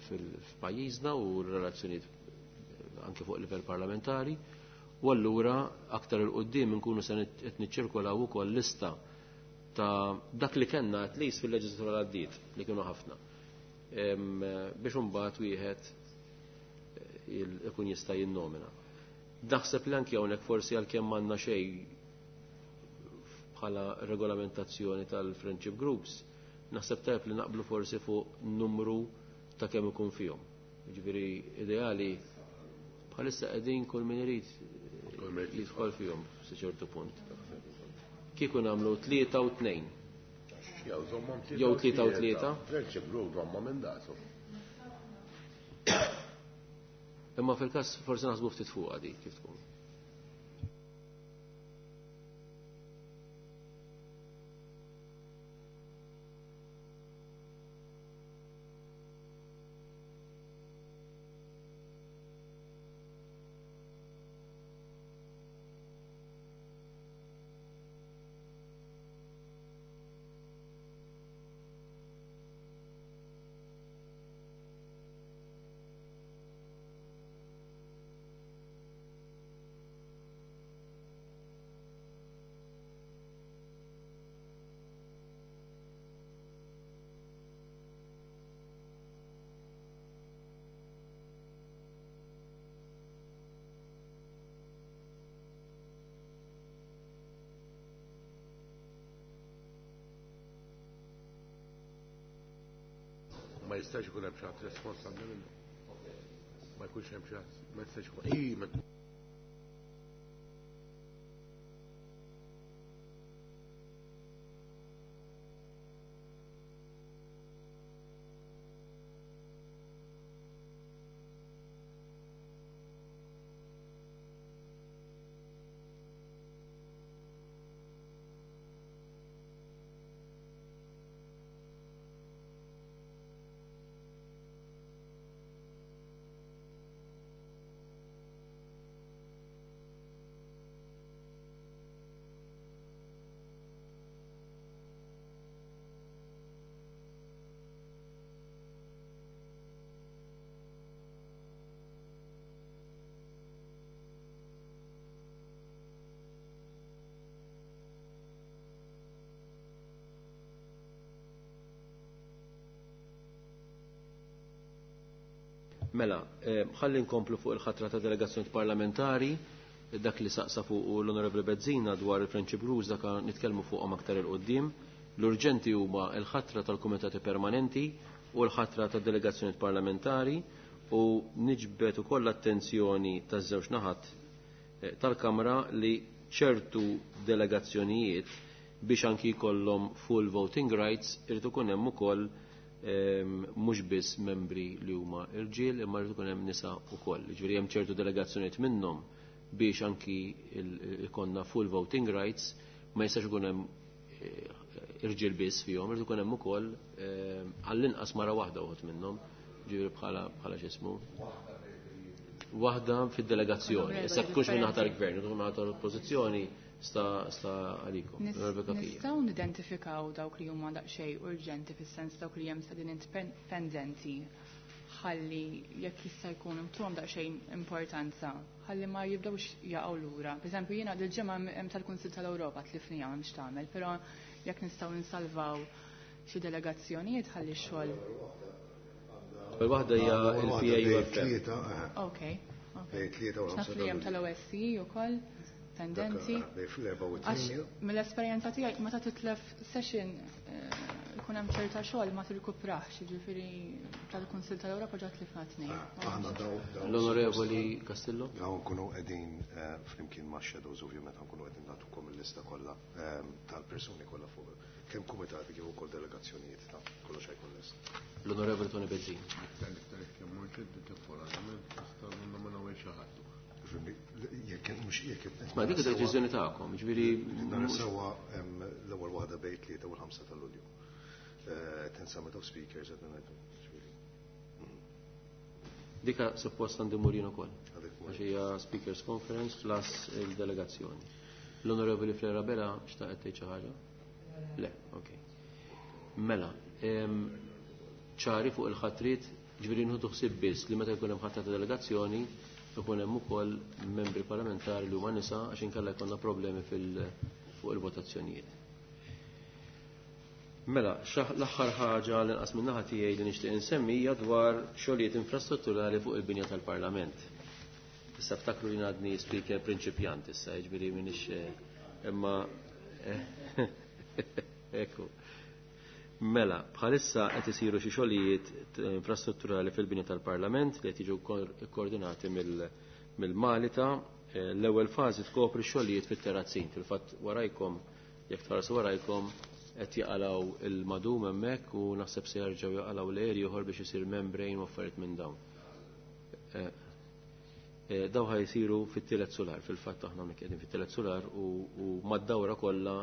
fil-pajjiżna u r-relazzjonijiet anke fuq livell parlamentari. U allura aktar il-qoddim nkunu se qed niċċirkolaw ukoll lista ta' dak li kellna at least fil-leġislatura l għaddiet li kienu ħafna. Biex imbagħad wieħed ikun jista' jinnomina. Naħseb li anke hawnhekk forsi għalkemm m'għandna xejn bħala regolamentazzjoni tal-friendship groups, naħseb tajb li naqblu forsi fuq numru ta' kemm ikun fihom. Jiġifieri ideali bħalissa qegħdin kull min irid jidħol fihom sa ċertu punt. Kieku nagħmlu 3 u 2. Jew 3 u 3. Friendship group żommhom minn dasu. Imma fil-każ forsi naħsbu ftit fuqha dik kif tkun. Ma jistax ikun hemm xi ħadd responsabbli minnu. Ma jkunx hemm xi ħadd, ma jistax ikun. Ij, ma Mela, ħalli nkomplu fuq il-ħatra ta' delegazzjoni parlamentari, dak li saqsa fuq l-Onorevoli Bezzina dwar il-Friendship Rules dak nitkellmu fuqhom aktar il-qoddim. L-urġenti huma l-ħatra tal-kumitati permanenti u l-ħatra ta' delegazzjoni parlamentari u niġbed ukoll l-attenzjoni taż-żewġ naħat tal-Kamra li ċertu delegazzjonijiet biex anki jkollhom full voting rights irid ikun hemm ukoll mhux biss membri li huma irġiel imma jrid ikun hemm nisa wkoll. Jiġifieri hemm ċertu delegazzjonijiet minnhom biex anki ikonna full voting rights ma jistax ikun hemm irġiel biss fihom, irid ikun hemm ukoll għall-inqas mara waħda uħud minnhom, ġifieri bħala bħala x'ismu. Waħda fid-delegazzjoni, issa tkunx minn naħa tal-gvern, tkun naħa tal-oppożizzjoni Sta sta għalikom. Nistgħu nidentifikaw dawk li huma daqsxejn urġenti fis-sens dawk li hemm sedin pendenti ħalli jekk jista' jkun intuhom daqsxejn importanza ħalli ma jibdewx jaqgħu lura. Pereżempju jiena dil-ġimgħa hemm tal-Kunsill tal-Ewropa tlifnija m'hemmx tagħmel, però jekk nistgħu nsalvaw xi delegazzjonijiet ħalli x-xogħol. L-ewwel waħda hija l-PAUFM. Ok. Naf li hemm tal-OSCE ukoll pendenti. Għax mill-esperjenza tiegħi meta titlef session ikun hemm ċerta xogħol ma tirkuprax, jiġifieri tal-Kunsill tal-Ewropa ġa tlifna tnejn. Aħna daw L-Onorevoli Castillo. Daw nkunu qegħdin flimkien ma' shadows ovvjament nkunu qegħdin nagħtukom il-lista kollha tal-persuni kollha fuq kemm kumitati kif ukoll delegazzjonijiet ta' kollox ħajkun lest. L-Onorevoli Tony Bezzina. Ma dik id-deċiżjoni tagħkom, ġifieri Nara sewwa l-ewwel waħda bejn 3 u l-5 ta' Lulju. Ten Summit of Speakers qed ngħidu. Dika suppost għandi murin ukoll. Għax hija Speakers Conference plus il-delegazzjoni. L-Onorevoli Flera Bela xtaqet tgħid xi ħaġa? Le, ok. Mela, ċari fuq il-ħatrit, ġifieri nħudu ħsieb biss li meta jkun hemm ħatra ta' delegazzjoni ikun hemm ukoll membri parlamentari li huma nisa għax inkella jkollna problemi fuq il-votazzjonijiet. Mela, l-aħħar ħaġa li nqas min-naħa tiegħi li nixtieq insemmi hija dwar xogħlijiet infrastrutturali fuq il-binja tal-Parlament. Issa ftakru li għadni speaker prinċipjant issa, jiġifieri m'iniex imma ekku. Mela, bħalissa qed isiru xi xogħlijiet infrastrutturali fil-binja tal-Parlament li qed jiġu kkoordinati mill-Malita. L-ewwel fażi tkopri xogħlijiet fit-terrazzin. Fil-fatt warajkom, jekk tħarsu warajkom, qed jaqalgħu il-madum hemmhekk u naħseb se jerġgħu jaqalgħu l-eri ieħor biex isir membrane u affarijiet minn dawn. Daw ħaj jsiru fit-tielet solar, fil-fatt aħna hawnhekk qegħdin fit-tielet solar u mad-dawra kollha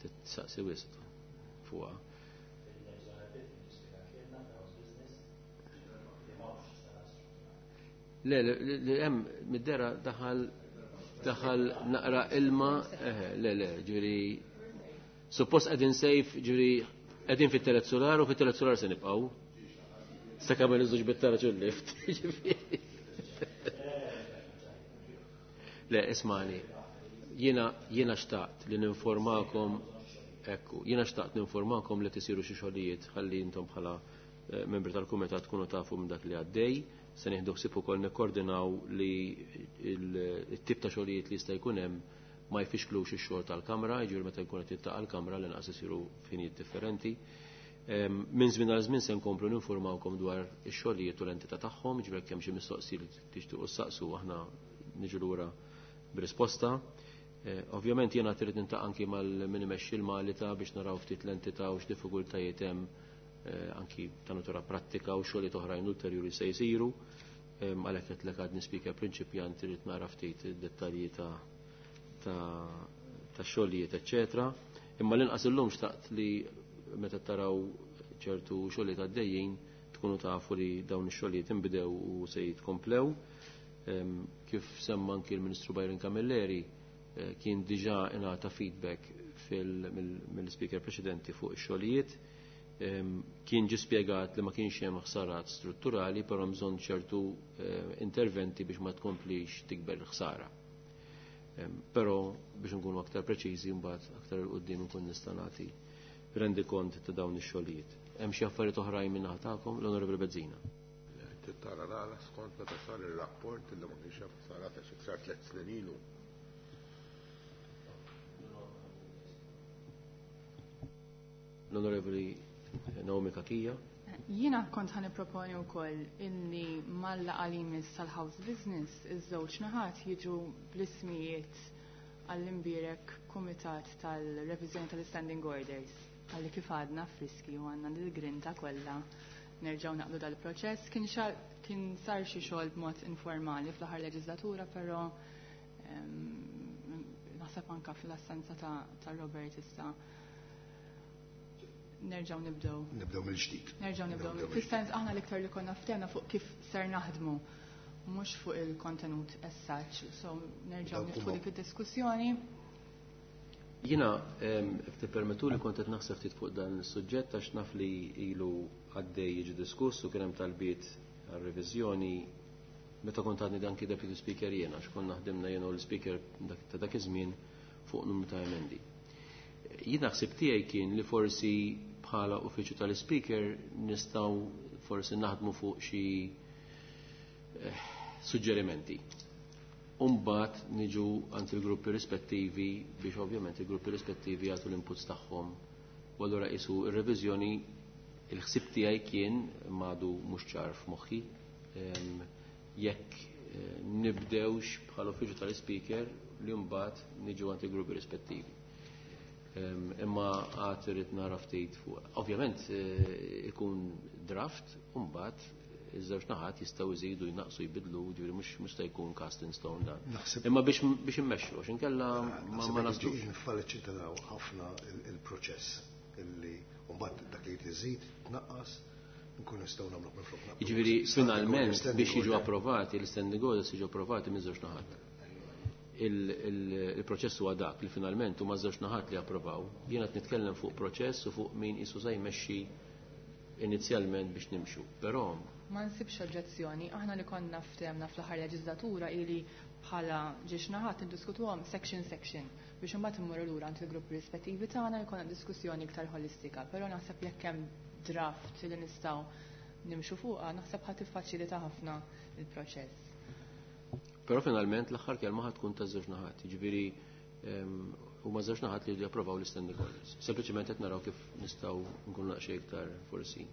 titsaqsi wisq fuqha. Le, le, hemm mid-dera daħal naqra ilma, le, le, ġifieri suppost qegħdin sejf, ġifieri qegħdin fit-tielet solar u fit-tielet solar se nibqgħu. Sakemm ma niżux bit-taraġ u l-lift. Le, ismani, jiena xtaqt li ninformakom, ekku, jiena xtaqt ninformakom li tisiru xi xogħlijiet ħalli intom bħala membri tal-kumitat tkunu tafu minn dak li għaddej. Se nieħdu ħsieb ukoll nikkoordinaw li t-tip ta' xogħlijiet li jista' jkun hemm ma jfixklux ix-xogħol tal-Kamra, jiġifieri meta jkun qed jiltaqa' l-Kamra li naqas isiru f'ħinijiet differenti. Minn żmien għal żmien se nkomplu ninformawkom dwar ix-xogħlijiet u l-entità tagħhom, jiġifieri jekk hemm xi mistoqsijiet li tixtiequ ssaqsu aħna niġu lura b'risposta. Ovvjament jiena trid nintaqa' anki mal-min imexxi l-Malita biex naraw ftit l-entità u x'diffikultajiet hemm anki ta' natura prattika u xogħlijiet oħrajn ulterjuri se jsiru. Għalhekk qed lek għadni speaker prinċipjant irid nara ftit id-dettalji ta' xogħlijiet, eċċetera. Imma l-inqas illum xtaqt li meta taraw ċertu xogħlijiet għaddejjin tkunu tafu li dawn ix-xogħlijiet inbidew u se jitkomplew. Kif semma anki l-Ministru Byron Camilleri, kien diġà ingħata feedback mill-speaker preċedenti fuq ix-xogħlijiet. Kien ġie spjegat li ma kienx hemm ħsarat strutturali, però bżonn ċertu interventi biex ma tkomplix tikber il-ħsara. Però biex nkunu aktar preċiżi mbagħad aktar il quddiem nkun nista' nagħti rendikont ta' dawn ix-xogħlijiet. Hemm xi affarijiet oħrajn minn naħa tagħkom, l-Onorevoli Bezzina. Tara l-għala skont meta sar ir-rapport li ma kienx hemm ħsarat għax sar 3 snin ilu. L-Onorevoli Naomi Cachia. Jiena kont ħa nipproponi wkoll illi mal-laqgħa li jmiss tal-House Business iż-żewġ naħat jiġu bl-ismijiet għall-imbierek kumitat tal-reviżjoni tal-Standing Orders għalli kif għadna friski u għandna l-grinta kollha nerġgħu naqdu dal-proċess. Kien sar xi xogħol b'mod informali fl-aħħar leġislatura, però naħseb anke fl-assenza ta' Robert issa nerġgħu nibdew. Nibdew mill-ġdid. Nerġgħu nibdew. Fis-sens aħna l-iktar li konna ftehna fuq kif ser naħdmu. Mhux fuq il-kontenut as such, so nerġgħu niftħu dik id-diskussjoni. Jiena, jekk tippermettuli, kont qed naħseb ftit fuq dan is-suġġett għax naf li ilu għaddej jiġi diskuss u kien hemm talbiet għar-reviżjoni meta kont għadni anki Deputy Speaker jiena, għax konna ħdimna jiena u l-Speaker ta' dak iż-żmien fuq numru ta' emendi. Jiena ħsieb tiegħi kien li forsi bħala uffiċċju tal-Speaker nistgħu forsi naħdmu fuq xi suġġerimenti. Umbat niġu għand il-gruppi rispettivi biex ovvjament il-gruppi rispettivi jagħtu l-inputs tagħhom. U allura qisu ir-reviżjoni, il-ħsieb tiegħi kien għadu mhux ċar f'moħħi jekk nibdewx bħala uffiċċju tal-Speaker li mbagħad niġu għand il-gruppi rispettivi. Imma għad irrid nara ftit fuq. Ovvjament ikun draft u mbagħad iż-żewġ naħat jistgħu jżidu, jnaqsu, jbidlu, ġifieri mhux se jkun cast in stone dan. Imma biex immexxu, għax inkella ma naslux. Niffaċilitaw ħafna il-proċess illi mbagħad dak li tiżid, tnaqqas, nkun nistgħu nagħmlu minn flok. Jiġifieri finalment biex jiġu approvati, l-standing orders jiġu approvati minn żewġ naħat. Il-proċess huwa dak li finalment huma żewġ naħat li approvaw. Jiena qed nitkellem fuq proċess u fuq min qisu se jmexxi inizjalment biex nimxu. Però ma nsibx oġġezzjoni, aħna li konna ftehemna fl-aħħar leġislatura ili bħala żewġ naħat niddiskutuhom section section biex imbagħad immorru lura għand il-gruppi rispettivi tagħna jkollna diskussjoni iktar ħolistika, però naħseb jekk hemm draft li nistgħu nimxu fuqha, naħseb ħa tiffaċilita ħafna il-proċess. Però finalment l-aħħar kelma ħa tkun ta' żewġ naħat, jiġifieri huma żewġ naħat li japprovaw l-standing orders. Sempliċement qed naraw kif nistgħu nkunu naqxej iktar forsi.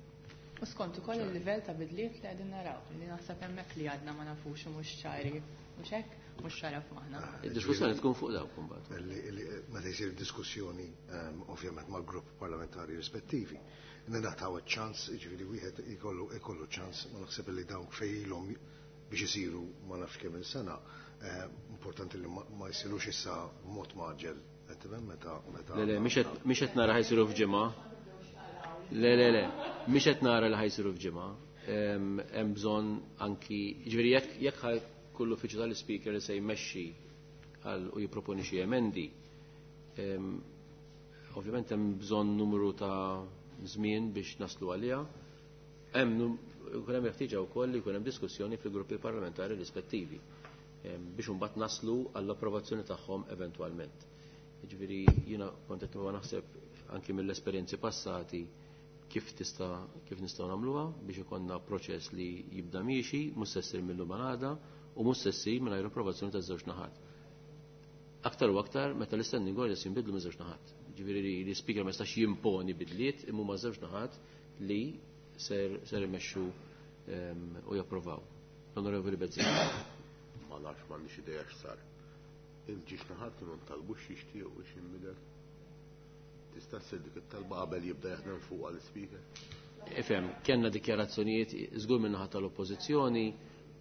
U skont ukoll il-livell ta' bidliet li qegħdin naraw, li naħseb hemmhekk li għadna ma nafux u mhux ċari, mhux hekk, mhux ċara f'maħna. Id-diskussjoni tkun fuq dawk imbagħad. Meta jsir diskussjoni ovvjament mal-grupp parlamentari rispettivi, ningħataw ċans, jiġifieri wieħed ikollu ċans, ma naħseb li dawk fejlhom biex isiru ma nafx kemm il-sena, importanti li ma jsirux issa b'mod mgħaġġel. Qed tifhem meta Le, le, mhix qed nara ħa jsiru f'ġimgħa. Le, le, le, mhix qed nara li ħa jsiru f'ġimgħa. Hemm bżonn anki, jiġifieri jekk ħa kull uffiċċju tal-Speaker li se jmexxi għal u jipproponi xi emendi, ovvjament hemm bżonn numru ta' żmien biex naslu għaliha. Hemm jkun hemm ħtieġa wkoll li jkun hemm diskussjoni fil-gruppi parlamentari rispettivi biex imbagħad naslu għall-approvazzjoni tagħhom eventwalment. Jiġifieri jiena kont qed naħseb anki mill-esperjenzi passati kif nistgħu nagħmluha biex ikollna proċess li jibda miexi, mhux se ssir mill-lum għada u mhux se ssir mingħajr approvazzjoni taż-żewġ naħat. Aktar u aktar meta l-standing orders jinbidlu minn żewġ naħat. Ġifieri li l-speaker ma jistax jimponi bidliet imma huma żewġ naħat li ser imexxu u japprovaw. L-Onorevoli Bezzina. Ma nafx, m'għandix idea x'sar. Il-żewġ naħat kienu ntalbu x'jixtiequ biex jinbidel. Tista' ssir dik it-talba qabel jibda jaħdem fuq għall-speaker. Ifhem, kellna dikjarazzjonijiet żgur minn naħa tal-Oppożizzjoni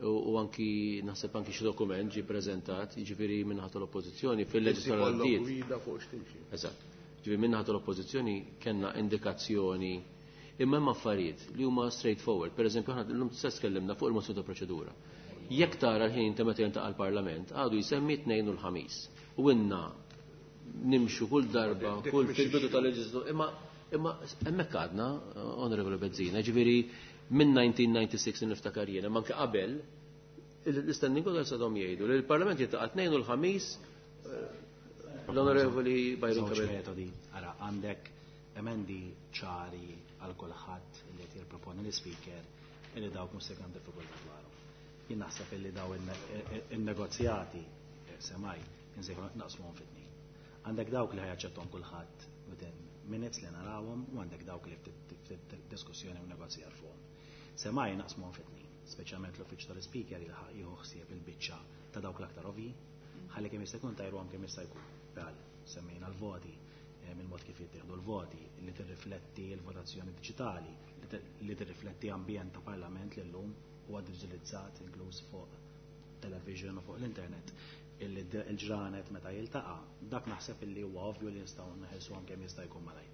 u anki naħseb anki xi dokument ġie preżentat, jiġifieri minn naħa tal-Oppożizzjoni fil-leġislatura Ikollok għaddiet. Gwida fuq x'timxi. Eżatt. Ġifieri minn naħa tal-Oppożizzjoni kellna indikazzjoni imma hemm affarijiet li huma straightforward. Per eżempju, aħna llum stess tkellimna fuq il-mozzjoni ta' proċedura. Jekk tara l-ħin ta' meta jiltaqa' l-Parlament, għadu jsemmi tnejn u l-ħamis. U inna nimxu kull darba, Dik kull mhix fil-bidu issue. tal-leġislatura, imma hemmhekk għadna, Onorevole Bezzina, ġifieri minn 1996 niftakar jiena, ma anke qabel, l-standing orders għadhom jgħidu li l-Parlament jiltaqa' tnejn u l-ħamis, l-Onorevoli Byron Żewġ Cabell. metodi, ara, għandek emendi ċari għal kulħadd li qed jipproponi l-speaker illi dawk mhux se jkun diffikultà dwarhom. Jien naħseb illi daw in-negozjati semmej insejħu naqsmuhom fit-tnejn. Għandek dawk li ħa jaċċettahom kulħadd within minutes li narawhom u għandek dawk li ftit diskussjoni u negozjar fuqhom. Semmej naqsmuhom fit-tnejn, speċjalment l-uffiċċju tal-speaker jieħu ħsieb il-biċċa ta' dawk l-aktar ovvji, ħalli kemm jista' jkun tajruhom kemm jista' jkun. Bħal semmejna l-voti, il-mod kif jittieħdu l-voti, li tirrifletti l-votazzjoni diġitali, li tirrifletti ambjent ta' parlament li llum huwa diġitalizzat inkluż fuq television u fuq l-internet. Il-ġranet meta jiltaqa', dak naħseb illi huwa ovvju li nistgħu neħelsuhom kemm jista' jkun malajr.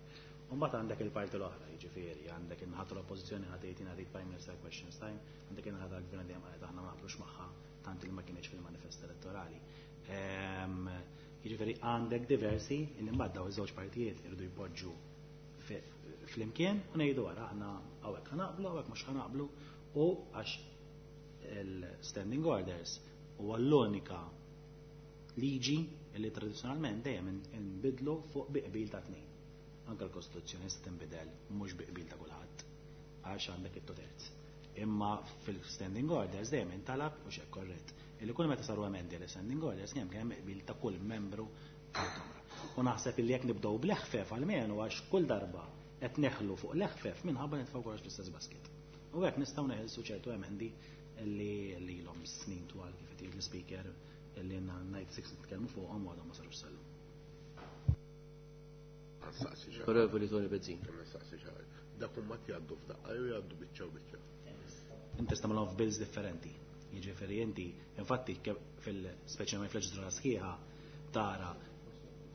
U mbagħad għandek il-parti l-oħra, jiġifieri għandek in-naħa tal-Oppożizzjoni ħa tgħid jiena rrid Prime Minister Questions Time, għandek in-naħa tal-Gvern dejjem qalet aħna ma naqblux magħha tant li ma kienx fil-manifest elettorali. Jiġifieri għandek diversi li mbagħad daw iż-żewġ partijiet irridu jpoġġu flimkien u ngħidu wara aħna hawnhekk ħa naqblu, hawnhekk mhux ħa naqblu u għax il-standing orders huwa l-unika liġi li tradizzjonalment dejjem inbidlu fuq bi qbil ta' tnejn. Anke l-Kostituzzjoni se tinbidel mhux bi qbil ta' kulħadd għax għandek it-two terz. Imma fil-standing orders dejjem intalab u xek korrett illi kull meta saru emendi għal standing orders kemm kemm qbil ta' kull membru tal-Kamra. U naħseb illi jekk nibdew bl-eħfef għalmenu għax kull darba qed neħlu fuq l-eħfef minħabba nitfgħu kollox fl-istess basket. U hekk nistgħu neħilsu ċertu emendi li lilhom snin twal kif qed jgħid l-speaker illi 96 nitkellmu fuqhom u għadhom ma sarux sal-lum. Onorevoli Tony Bezzina. Dak huma jgħaddu f'daqqa jew jgħaddu biċċa u biċċa. Inti tagħmilhom f'bills differenti. Jiġifieri inti, infatti fil-speċjalment fil-leġislatura sħiħa tara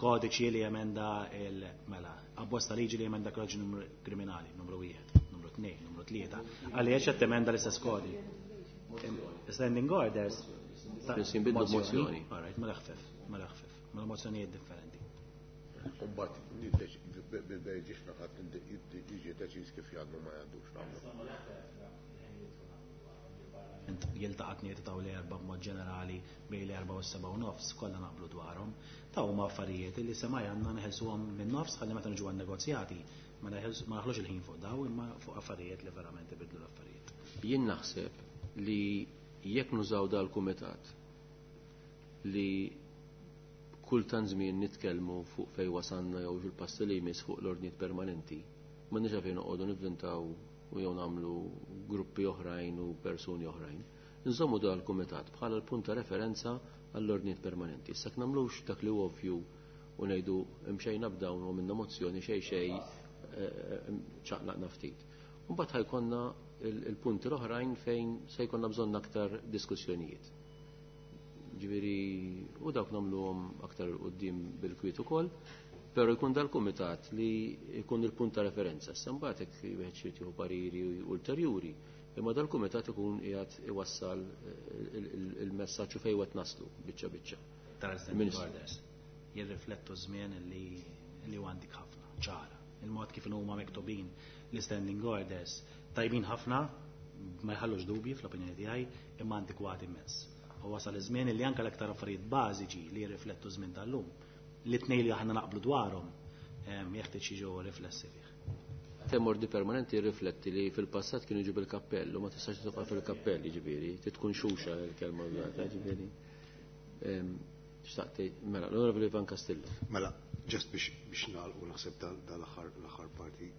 kodiċi li jemenda il-mela, abbozz ta' liġi li jemenda kodiċi numru kriminali, numru 1, numru 2, numru 3. Għaliex qed temenda l-istess kodi. Standing orders. Jinbidlu mozzjoni. All right, mela ħfef, mela ħfef, mela mozzjonijiet differenti. Imbagħad bil-bejġiex naħat jiġi deċiż kif jgħaddu ma jgħaddux nagħmlu. Jiltaqa' tniet ta' l-erba' b'mod ġenerali bejn l-4 u s-7:30 kollha naqblu dwarhom. Ta' huma affarijiet li semaj għandna neħelsuhom minn nofs ħalli meta niġu għan-negozjati ma naħlux il-ħin fuq daw imma fuq affarijiet li verament ibidlu l-affarijiet. Jien naħseb li jekk nużaw dal-kumitat li kull tant żmien nitkellmu fuq fejn wasanna jew fil-passi li jmiss fuq l-ordnijiet permanenti, ma nix fejn noqogħdu nivvintaw u jew nagħmlu gruppi oħrajn u persuni oħrajn. Nżommu dal-kumitat bħala l-punt ta' referenza għall-ordnijiet permanenti. Issa nagħmlux dak li ovvju u ngħidu imxejna b'dawn u minna mozzjoni xejn xejn ċaqlaqna ftit. Mbagħad ħajkonna il-punti l-oħrajn fejn se jkollna bżonn aktar diskussjonijiet. Ġifieri u dawk nagħmluhom aktar quddiem bil-kwiet ukoll, però jkun dal-kumitat li jkun il-punt ta' referenza. Issa mbagħad hekk wieħed xi jieħu pariri ulterjuri, imma dal-kumitat ikun qiegħed iwassal il-messaġġ fejn qed naslu biċċa biċċa. Tal-standing orders jirriflettu żmien li huwa antik ħafna, ċara. Il-mod kif huma miktubin l-standing orders tajbin ħafna, ma jħallux dubji fl-opinjoni tiegħi, imma antikwati immens. U wasal iż-żmien li anke l-aktar affarijiet bażiċi li jirriflettu żmien tal-lum, li tnejn li aħna naqblu dwarhom jeħtieġ jiġu riflessi fih. Tem ordni permanenti jirrifletti li fil-passat kienu jiġu bil-kappell u ma tistax tibqa' fil-kappell, jiġifieri, tkun xuxa l-kelma użata, jiġifieri. Xtaqt mela, l-Onorevoli Ivan Castillo. Mela, just biex nagħlqu naħseb dal-aħħar parti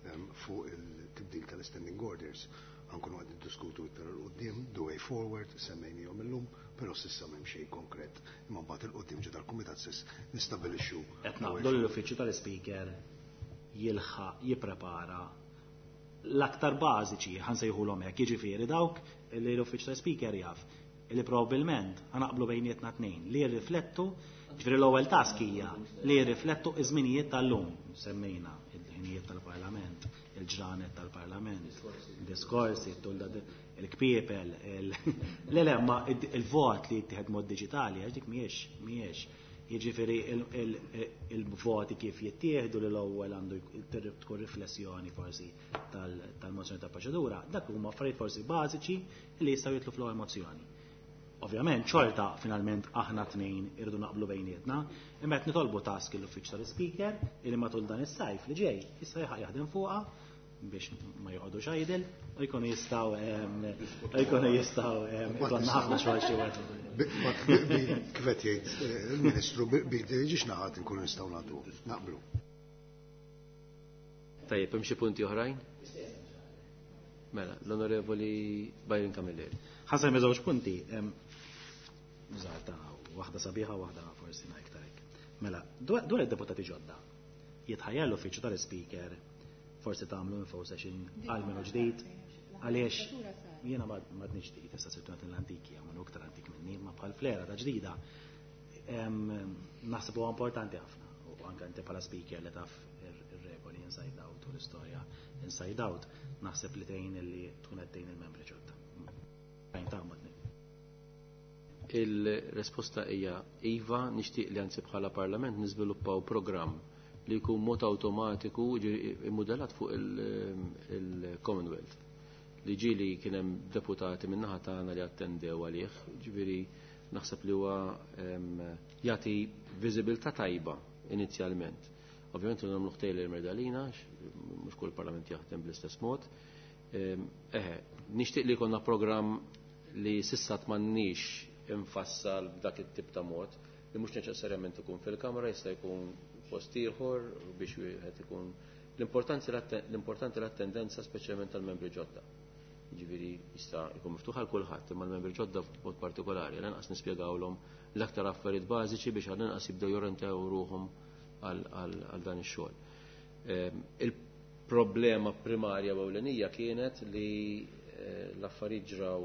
fuq il-tibdil tal-standing orders. Ħankunu qed niddiskutu iktar 'il quddiem, the way forward, semmejnihom illum, però s'issa m'hemm xejn konkret. Imma mbagħad 'il quddiem ġo dal-kumitat stess nistabilixxu. Qed naqblu l-uffiċċju tal-Speaker jilħaq jipprepara l-aktar bażiċi ħansejħulhom hekk, jiġifieri dawk li l-uffiċċju tal-Speaker jaf li probabbilment ħanaqblu bejnietna tnejn li jirriflettu, ġifieri l-ewwel task hija li jirriflettu iż-żminijiet tal-lum, semmejna il-ħinijiet tal-Parlament, il-ġranet tal-Parlament, diskorsi, il-kpiepel, le le, ma il-vot li jittieħed mod diġitali, għax dik mhijiex. Jiġifieri il-voti kif jittieħdu li l-ewwel għandu tkun riflessjoni forsi tal-mozzjoni ta' proċedura, dak huma affarijiet forsi bażiċi li jistgħu jitlu fl-ewwel mozzjoni. Ovvjament, xorta finalment aħna tnejn irridu naqblu bejnietna, imma qed nitolbu task l-uffiċċju tal-Speaker li matul dan is-sajf li ġej issa jaħdem fuqha biex ma joqogħdux idle u jkunu jistgħu jkunu jistgħu ikollna ħafna xogħol xi wieħed. Kif qed jgħid il-Ministru ġiex naħat inkunu nistgħu nagħtu naqblu. Tajjeb, hemm xi punti oħrajn? Mela, l-Onorevoli Byron Camilleri. Ħasan żewġ punti. Żgħar ta' waħda sabiħa waħda forsi ma iktar hekk. Mela, dwar id-deputati ġodda, jitħajjel l-uffiċċju tal-Speaker forsi tagħmlu info session għal minnu ġdid, għaliex jiena m'għadni ġdid, issa sirtu l-antiki, għamlu iktar antik minni, ma bħal flera ta' ġdida. Naħseb huwa importanti ħafna, u anke inti bħala speaker li taf ir-regoli. inside out u l-istorja inside out, naħseb li tgħin li tkun qed tgħin il-membri ġodda. Il-risposta hija iva, nixtieq li anzi bħala Parlament niżviluppaw programm li jkun mod awtomatiku immudellat fuq il-Commonwealth. Li ġieli kien hemm deputati min-naħa tagħna li attendew għalih, ġifieri naħseb li huwa jagħti viżibilità tajba inizjalment. Ovvjament nagħmlu tailor made għalina, mhux kull parlament jaħdem bl-istess mod. Eħe, nixtieq li jkollna programm li s'issa m'għandniex infassal b'dak it-tip ta' mod, li mhux neċessarjament ikun fil-kamra, jista' jkun post ieħor biex wieħed ikun l-importanti l-attendenza speċjalment tal-membri ġodda. Jiġifieri jista' jkun miftuħ għal kulħadd, imma l-membri ġodda b'mod partikolari, lanqas nispjegawlhom l-aktar affarijiet bażiċi biex għall-inqas jibdew jorentaw ruħhom għal dan ix-xogħol. Il-problema primarja u ewlenija kienet li l-affarijiet ġraw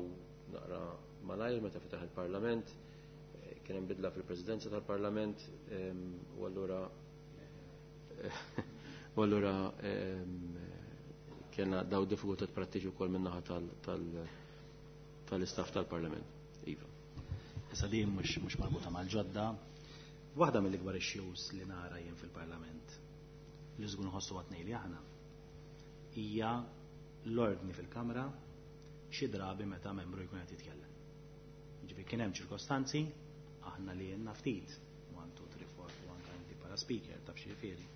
naqra malajr meta fetaħ il-Parlament, kien hemm bidla fil-Presidenza tal-Parlament, u allura u allura kellna daw diffikultat prattiċi wkoll min-naħa tal-istaff tal-Parlament. Iva. Issa din mhux marbuta mal-ġodda. Waħda mill-ikbar issues li nara jien fil-Parlament li żgur nħossu għat li aħna hija l-ordni fil-Kamra xi drabi meta membru jkun qed jitkellem. Ġifieri kien hemm ċirkostanzi aħna li jenna ftit 1 2 3 4 u anke inti bħala speaker taf xi jifieri.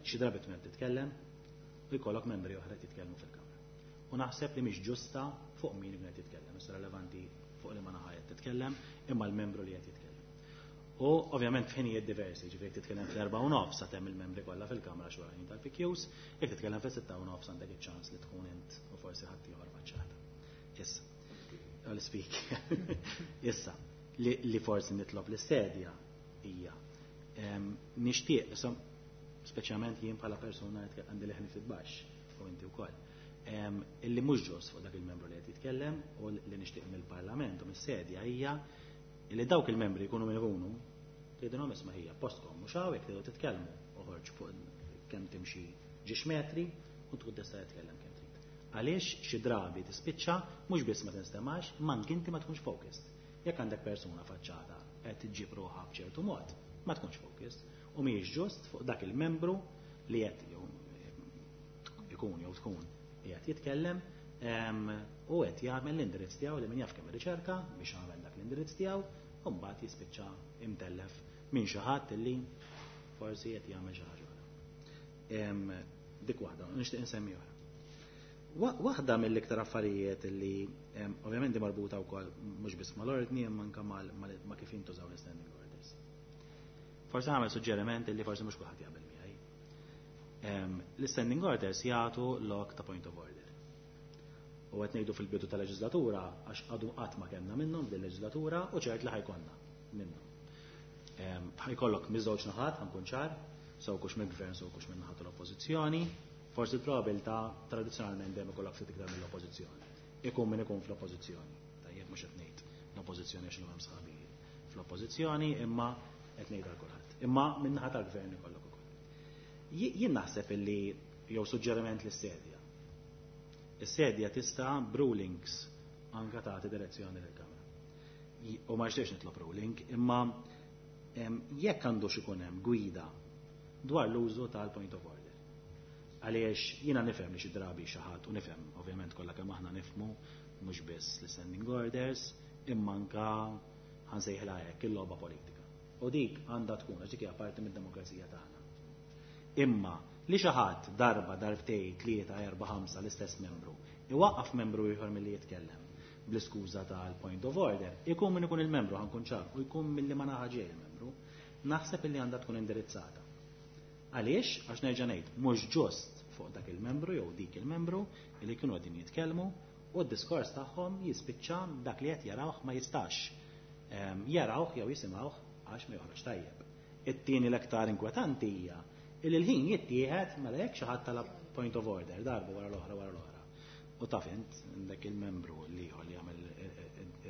Xi drabi tkun qed titkellem u jkollok membri oħra qed jitkellmu fil-Kamra. U naħseb li mhix ġusta fuq min ikun qed jitkellem, issa relevanti fuq li ma naħa qed titkellem, imma l-membru li qed jitkellem. U ovvjament f'ħinijiet diversi, ġifieri jekk titkellem fl-4:30 sa temm il-membri kollha fil-Kamra xi wara tal-PQs, jekk titkellem fis-6:30 għandek iċ-ċans li tkun int u forsi ħadd ieħor faċċata. Issa, l-speaker. Issa, li forsi nitlob l-istedja hija nixtieq, issa, speċjalment jien bħala persuna għandi leħni ftit baxx u inti wkoll. Illi mhux ġust fuq dak il-membru li qed jitkellem u li nixtieq mill-Parlament u mis-sedja hija li dawk il-membri jkunu min ikunu tgħidilhom isma' hija postkom mhux hawn jekk tridu titkellmu oħorġ fuq kemm timxi ġiex metri u tkun tista' titkellem kemm trid. Għaliex xi drabi tispiċċa mhux biss ma tinstemax, imma anke inti ma tkunx focused. Jekk għandek persuna faċċata qed iġġib ruħha b'ċertu mod, ma tkunx focused u mhijiex ġust fuq dak il-membru li qed jew ikun jew tkun qiegħed jitkellem u qed jagħmel l-indirizz tiegħu li min jaf kemm riċerka biex jagħmel dak l-indirizz tiegħu u mbagħad jispiċċa imtellef minn xi ħadd illi forsi qed jagħmel xi ħaġa oħra. Dik waħda, nixtieq insemmi oħra. Waħda mill-iktar affarijiet li ovvjament di marbuta wkoll mhux biss mal-ordni imma anke ma' kif jintużaw l-standing orders. Forsi nagħmel suġġeriment li forsi mhux kulħadd jaqbel miegħi. L-standing orders jagħtu lok ta' point of order. U qed ngħidu fil-bidu tal-leġislatura għax għadu qatt ma kellna minnhom din leġislatura u ċert li ħajkonna minnhom. Ħajkollok miż-żewġ naħat, ħankun ċar, sew kux mill-gvern, sew kux minn naħat l-oppożizzjoni, forsi l-probabilità tradizzjonalment dejjem ikollok ftit iktar mill-oppożizzjoni. Ikun min ikun fl-oppożizzjoni. Tajjeb mhux qed ngħid l-oppożizzjoni għax hemm sħabi fl-oppożizzjoni, imma qed ngħid għal kulħadd. Imma minn naħa tal-gvern ikollok ukoll. Jien naħseb illi jew suġġeriment lis-sedja. Is-sedja tista' b'rulings anka tagħti direzzjoni lill-Kamra. U ma nixtieqx nitlob ruling, imma jekk għandux ikun hemm gwida dwar l-użu tal-point of order. Għaliex jiena nifhem li xi drabi xi ħadd u nifhem ovvjament kollha kemm aħna nifhmu mhux biss l-standing orders imma anka ħansejħilha hekk il-logħba politika. U dik għandha tkun għax dik hija parti mid-demokrazija tagħna. Imma li xi ħadd darba, darbtej, 3, 4, 5 l-istess membru, iwaqqaf membru ieħor milli jitkellem bl-iskuża tal-point of order, ikun min ikun il-membru ħankun ċar u jkun milli ma naħa ġej il-membru, naħseb illi għandha tkun indirizzata. Għaliex? Għax nerġa' ngħid, mhux ġust fuq dak il-membru jew dik il-membru li kienu qegħdin jitkellmu u d-diskors tagħhom jispiċċa dak li qed jarawh ma jistax jarawh jew jisimgħuh għax ma joħroġ tajjeb. It-tieni l-aktar inkwetanti hija li l-ħin jittieħed mela jekk xi ħadd talab point of order darba wara l-oħra wara l-oħra. U taf int għandek il-membru li ieħor li jagħmel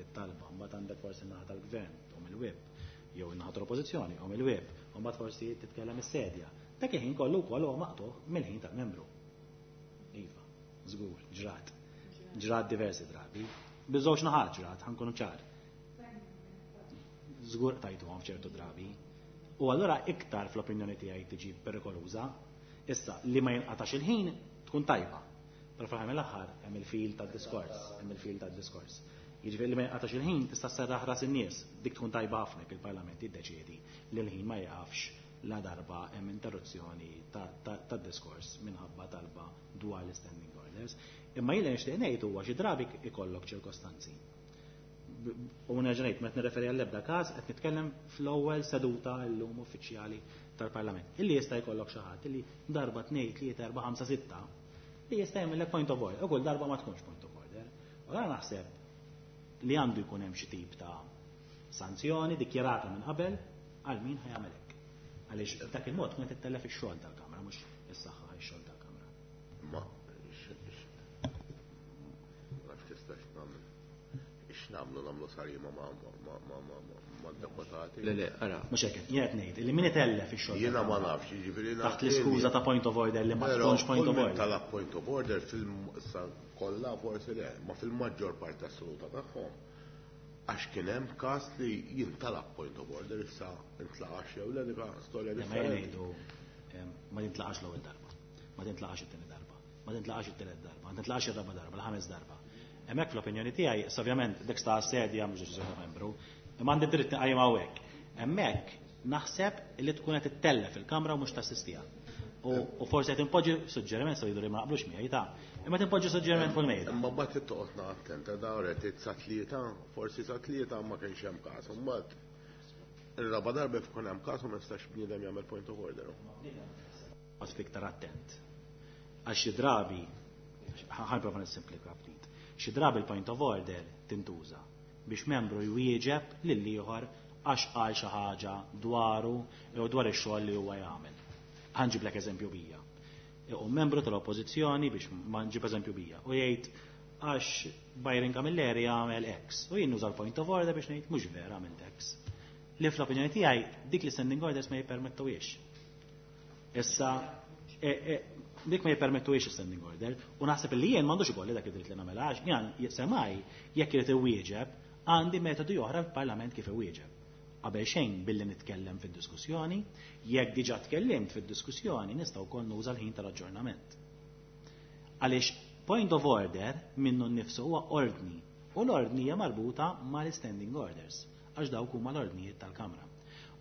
it-talba, mbagħad għandek forsi n-naħa tal-gvern u mill-whip, jew in-naħa tal-oppożizzjoni u mill-whip, u mbagħad forsi titkellem is-sedja. Dak il-ħin kollu wkoll huwa maqtugħ mill-ħin tal-membru. Iva, żgur, ġrat. Ġrat diversi drabi. Biż-żewġ naħat ġrat, ħa nkunu ċar. Żgur tajtuhom f'ċertu drabi. U allura iktar fl-opinjoni tiegħi tiġi perikoluża. Issa li ma jinqatax il-ħin tkun tajba. Però fl-aħħar mill-aħħar hemm il-fil tad-diskors, hemm il-fil tad-diskors. Jiġifieri li ma jinqatax il-ħin tista' sserraħ ras in-nies, dik tkun tajba ħafna jekk il-Parlament jiddeċiedi li l-ħin ma jieqafx la darba hemm interruzzjoni tad-diskors minħabba talba dwar l-standing orders. Imma jien li nixtieq ngħid huwa xi drabi ikollok ċirkostanzi. U nerġa' ngħid meta nirreferi għall-ebda każ qed nitkellem fl-ewwel seduta llum uffiċjali tal-Parlament. Illi jista' jkollok xi ħadd illi darba tnejn, tlieta, erba', ħamsa, sitta li jista' jagħmellek point of order, u kull darba ma tkunx point of order. U għara naħseb li għandu jkun hemm xi tip ta' sanzjoni dikjarata minn qabel għal min ħa jagħmel hekk. Għaliex dak il-mod tkun qed tittellef ix-xogħol tal-Kamra mhux is-saħħa ix-xogħol tal-Kamra. Ma nafx tistax nagħmel. X'nagħmlu nagħmlu sarima ma' deputati. Le, le, ara. Mhux hekk, jien qed ngħid li min itellef ix-xogħol. Jiena ma nafx, jiġifieri taħt l-iskuża ta' point of order li ma tkunx point of order. Talab point of order fil kollha forsi le, ma fil-maġġor parti assoluta tagħhom. Għax kien hemm każ li jintalab point of order issa intlaqax jew le dik storja differenti. Ma jintlaqax l-ewwel darba, ma tintlaqax it-tieni darba, ma tintlaqax it-tielet darba, ma tintlaqax ir-raba' darba, l-ħames darba. Hemmhekk fl-opinjoni tiegħi, ovvjament dik sta sedja mhux deċiżjoni ta' membru, imma għandi dritt nqajjem hawnhekk. Hemmhekk naħseb li tkun qed ittellef il-Kamra u mhux tassistiha. U forsi qed inpoġġi suġġeriment se jidhru li ma naqblux miegħi ta' imma tinpoġġi suġġeriment fuq il-mejda. Imma mbagħad toqgħod attenta da qed sa tlieta, forsi sa tlieta ma kienx hemm każ. Imbagħad ir-raba' darba jkun hemm każ u ma jistax bniedem jagħmel point of order. Għad iktar attent. Għax xi drabi, ħa nipprova nissimplifika ftit. Xi drabi l-point of order tintuża biex membru jwieġeb lil ieħor għax qal xi ħaġa dwaru jew dwar ix-xogħol li huwa jagħmel. Ħa nġiblek eżempju bija. U membru tal-oppożizzjoni biex ma nġib eżempju bija u jgħid għax Byron Camilleri għamel X u jien nuża l-point of order biex ngħid mhux vera għamilt X. Li fl-opinjoni tiegħi dik li standing orders ma jippermettuhiex. Issa dik ma jippermettuhiex standing order u naħseb li jien m'għandux ikolli dak id-dritt li nagħmel għax jien semaj jekk irid iwieġeb għandi metodi oħra fil-Parlament kif iwieġeb. Qabel xejn billi nitkellem fid-diskussjoni, jekk diġà tkellimt fid-diskussjoni nista' wkoll nuża l-ħin tal-aġġornament. Għaliex point of order minnu nnifsu huwa ordni u l-ordni hija marbuta mal-standing orders għax dawk huma l-ordnijiet tal-Kamra.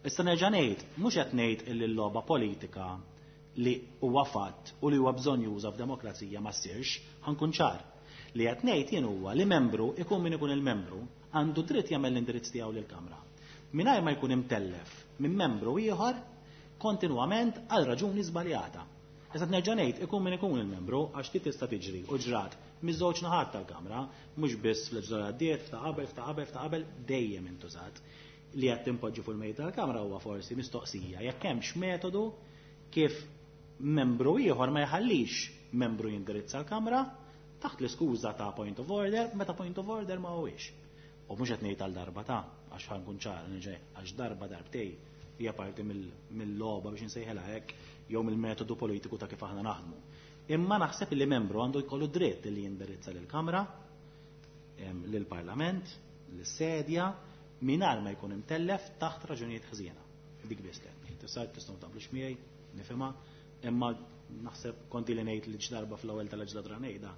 Issa nerġa' ngħid, mhux qed ngħid illi l-logħba politika li huwa fatt u li huwa bżonn juża f'demokrazija ma ssirx, ħa nkun ċar. Li qed ngħid jien huwa li membru ikun min ikun il-membru għandu dritt jagħmel l-indirizz tiegħu lill-Kamra. Mingħajr ma jkun imtellef minn membru ieħor kontinwament għal raġuni żbaljata. Issa nerġa' ngħid ikun min ikun il-membru għax ti tista' tiġri u ġrat miż-żewġ naħat tal-Kamra, mhux biss fl-leġislatura għaddiet, f'ta' qabel, f'ta' qabel, f'ta' qabel, dejjem intużat. Li qed tinpoġġi fuq il-mejda tal-Kamra huwa forsi mistoqsija jekk hemmx metodu kif membru ieħor ma jħallix membru jindirizza l-Kamra taħt l-iskuża ta' point of order, meta point of order ma huwiex. U mhux qed ngħid għal darba ta' għax ħa nkun ċar, għax darba darbtej hija parti mill-logħba biex insejħilha hekk jew mill-metodu politiku ta' kif aħna naħdmu. Imma naħseb li membru għandu jkollu dritt li jindirizza lill-Kamra, lill-Parlament, lis-sedja, mingħajr ma jkun imtellef taħt raġunijiet ħżiena. Dik biss li qed ngħid. Issa tistgħu taqblux miegħi, nifhimha, imma naħseb konti li ngħid li darba fl-ewwel tal-leġislatura ngħidha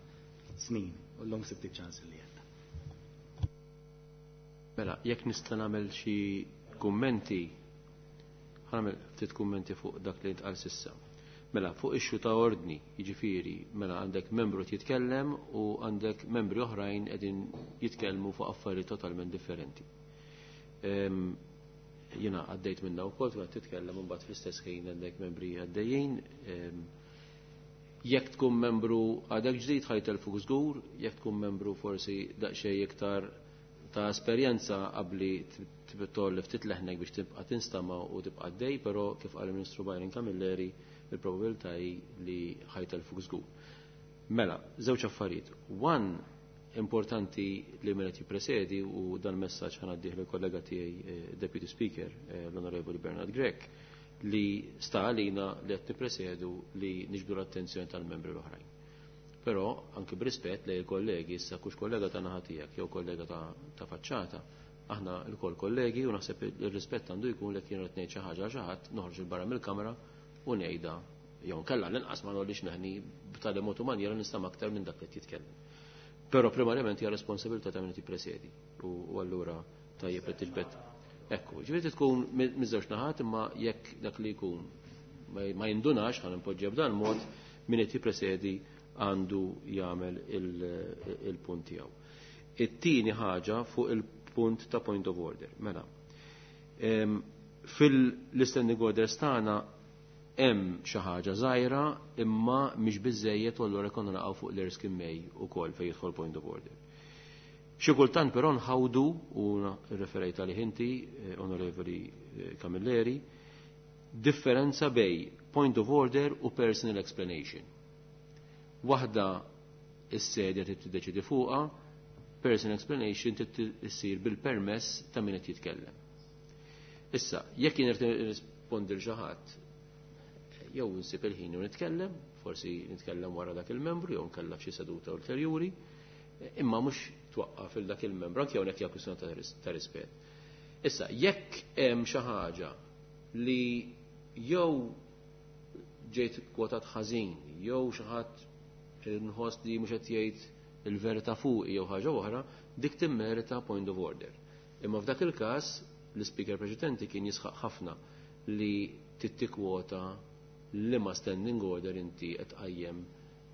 snin u llum sibt iċ-ċans li għedha. Mela, jekk nista' nagħmel xi kummenti, ħa nagħmel ftit kummenti fuq dak li ntqal s'issa. Mela, fuq issue ta' ordni, jiġifieri, mela għandek membru jitkellem u għandek membri oħrajn qegħdin jitkellmu fuq affarijiet totalment differenti. Jiena għaddejt minna wkoll tkun qed titkellem u mbagħad fl-istess ħin għandek membri għaddejjin. Jekk tkun membru għadek ġdid ħa jtellfuk żgur, jekk tkun membru forsi daqsxejn iktar ta' esperjenza qabli tolli ftit leħnek biex tibqa' tinstama' u tibqa' għaddej, però kif qal il-Ministru Byron Camilleri, il-probabilità hi li ħa jtellfuk żgur. Mela, żewġ affarijiet. One, importanti li min qed jippresedi u dan messaġġ ħa ngħaddih lill-kollega tiegħi Deputy Speaker, l-Onorevoli Bernard Grech. li sta għalina li qed nippresedu li niġbdu l-attenzjoni tal-membri l-oħrajn. Però anki b'rispett lejn il-kollegi, issa kux kollega ta' naħa tiegħek jew kollega ta' faċċata, aħna lkoll kollegi u naħseb ir-rispett għandu jkun li jien qed ngħid xi ħaġa għal xi ħadd noħroġ 'il barra mill-kamra u ngħidha jew nkella l-inqas ma nolix neħni b'tali mod u manjera nistama' aktar minn dak li qed jitkellem. Però primarjament hija responsabilità ta' min qed jippresedi u allura tajjeb li tiġbed. Ekku, ġifieri tkun miż-żewġ naħat imma jekk dak li jkun ma jindunax ħa nimpoġġiha b'dan mod min qed jippresedi għandu jagħmel il-punt tiegħu. It-tieni ħaġa fuq il-punt ta' point of order. Mela, fil-standing orders tagħna hemm xi ħaġa żgħira imma mhix biżejjed u allura konna naqgħu fuq l-Erskine May ukoll fejn jidħol point of order. Xi kultant però nħawdu u referejt għalih inti, Onorevoli Camilleri, differenza bejn point of order u personal explanation. Waħda is-sedja trid tiddeċidi fuqha, personal explanation trid issir bil-permess ta' min qed jitkellem. Issa, jekk jien irid nirrispondi lil xi ħadd, jew nsib il-ħin u nitkellem, forsi nitkellem wara dak il-membru jew nkella f'xi seduta ulterjuri, imma mhux twaqqaf il dak il-membru anke hawnhekk hija kwistjoni ta' rispett. Issa, jekk hemm xi ħaġa li jew ġejt kwotat ħażin, jew xi ħadd nħoss li mhux qed jgħid il-verità fuq jew ħaġa oħra, dik timmerita point of order. Imma f'dak il-każ l-speaker preċedenti kien jisħaq ħafna li tittikwota liema standing order inti qed tqajjem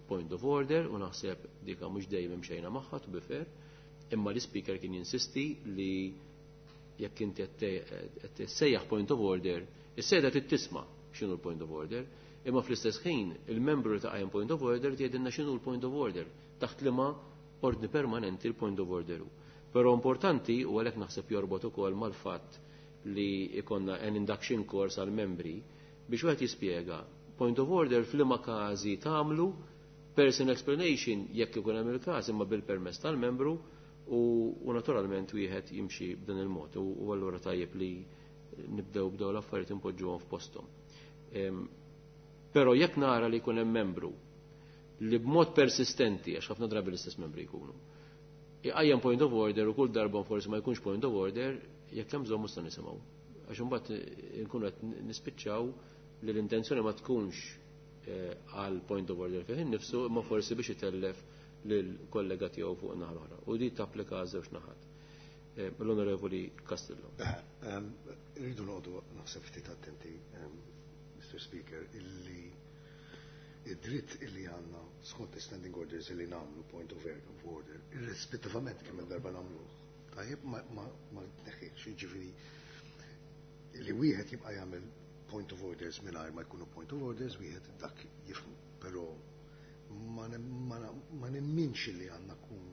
point of order u naħseb dika mhux dejjem xejna magħha to be fair, imma l-speaker kien jinsisti li jekk inti qed sejjaħ point of order, is-seda trid tisma' x'inhu l-point of order, imma fl-istess ħin il-membru li taqajjem point of order tgħidilna x'inhu l-point of order taħt liema ordni permanenti l-point of order hu. Però importanti u għalhekk naħseb jorbot ukoll mal-fatt li ikonna an induction course għal membri biex wieħed jispjega point of order f'liema każi tagħmlu, personal explanation jekk ikun hemm il-każ imma bil-permess tal-membru u naturalment wieħed jimxi b'dan il-mod u allura tajjeb li nibdew bdew l-affarijiet impoġġuhom f'posthom. Però jekk nara li jkun hemm membru li b'mod persistenti, għax ħafna drabi l-istess membri jkunu, iqajjem point of order u kull darba forsi ma jkunx point of order, jekk hemm bżonn mhux nisimgħu. Għax imbagħad nkunu qed nispiċċaw li l-intenzjoni ma tkunx għal point of order fih innifsu, imma forsi biex itellef lill-kollega tiegħu fuq naħa l-oħra. U di tapplika żewġ naħat. L-Onorevoli Castillo. Rridu noqogħdu naħseb ftit attenti, Mr. Speaker, illi id-dritt illi għandna skont standing orders illi nagħmlu point of order, irrispettivament kemm il-darba nagħmluh. Tajjeb ma tneħħiex, jiġifieri li wieħed jibqa' jagħmel point of orders mingħajr ma jkunu point of orders, wieħed dak jifhmu, però ma nemminx li għandna kun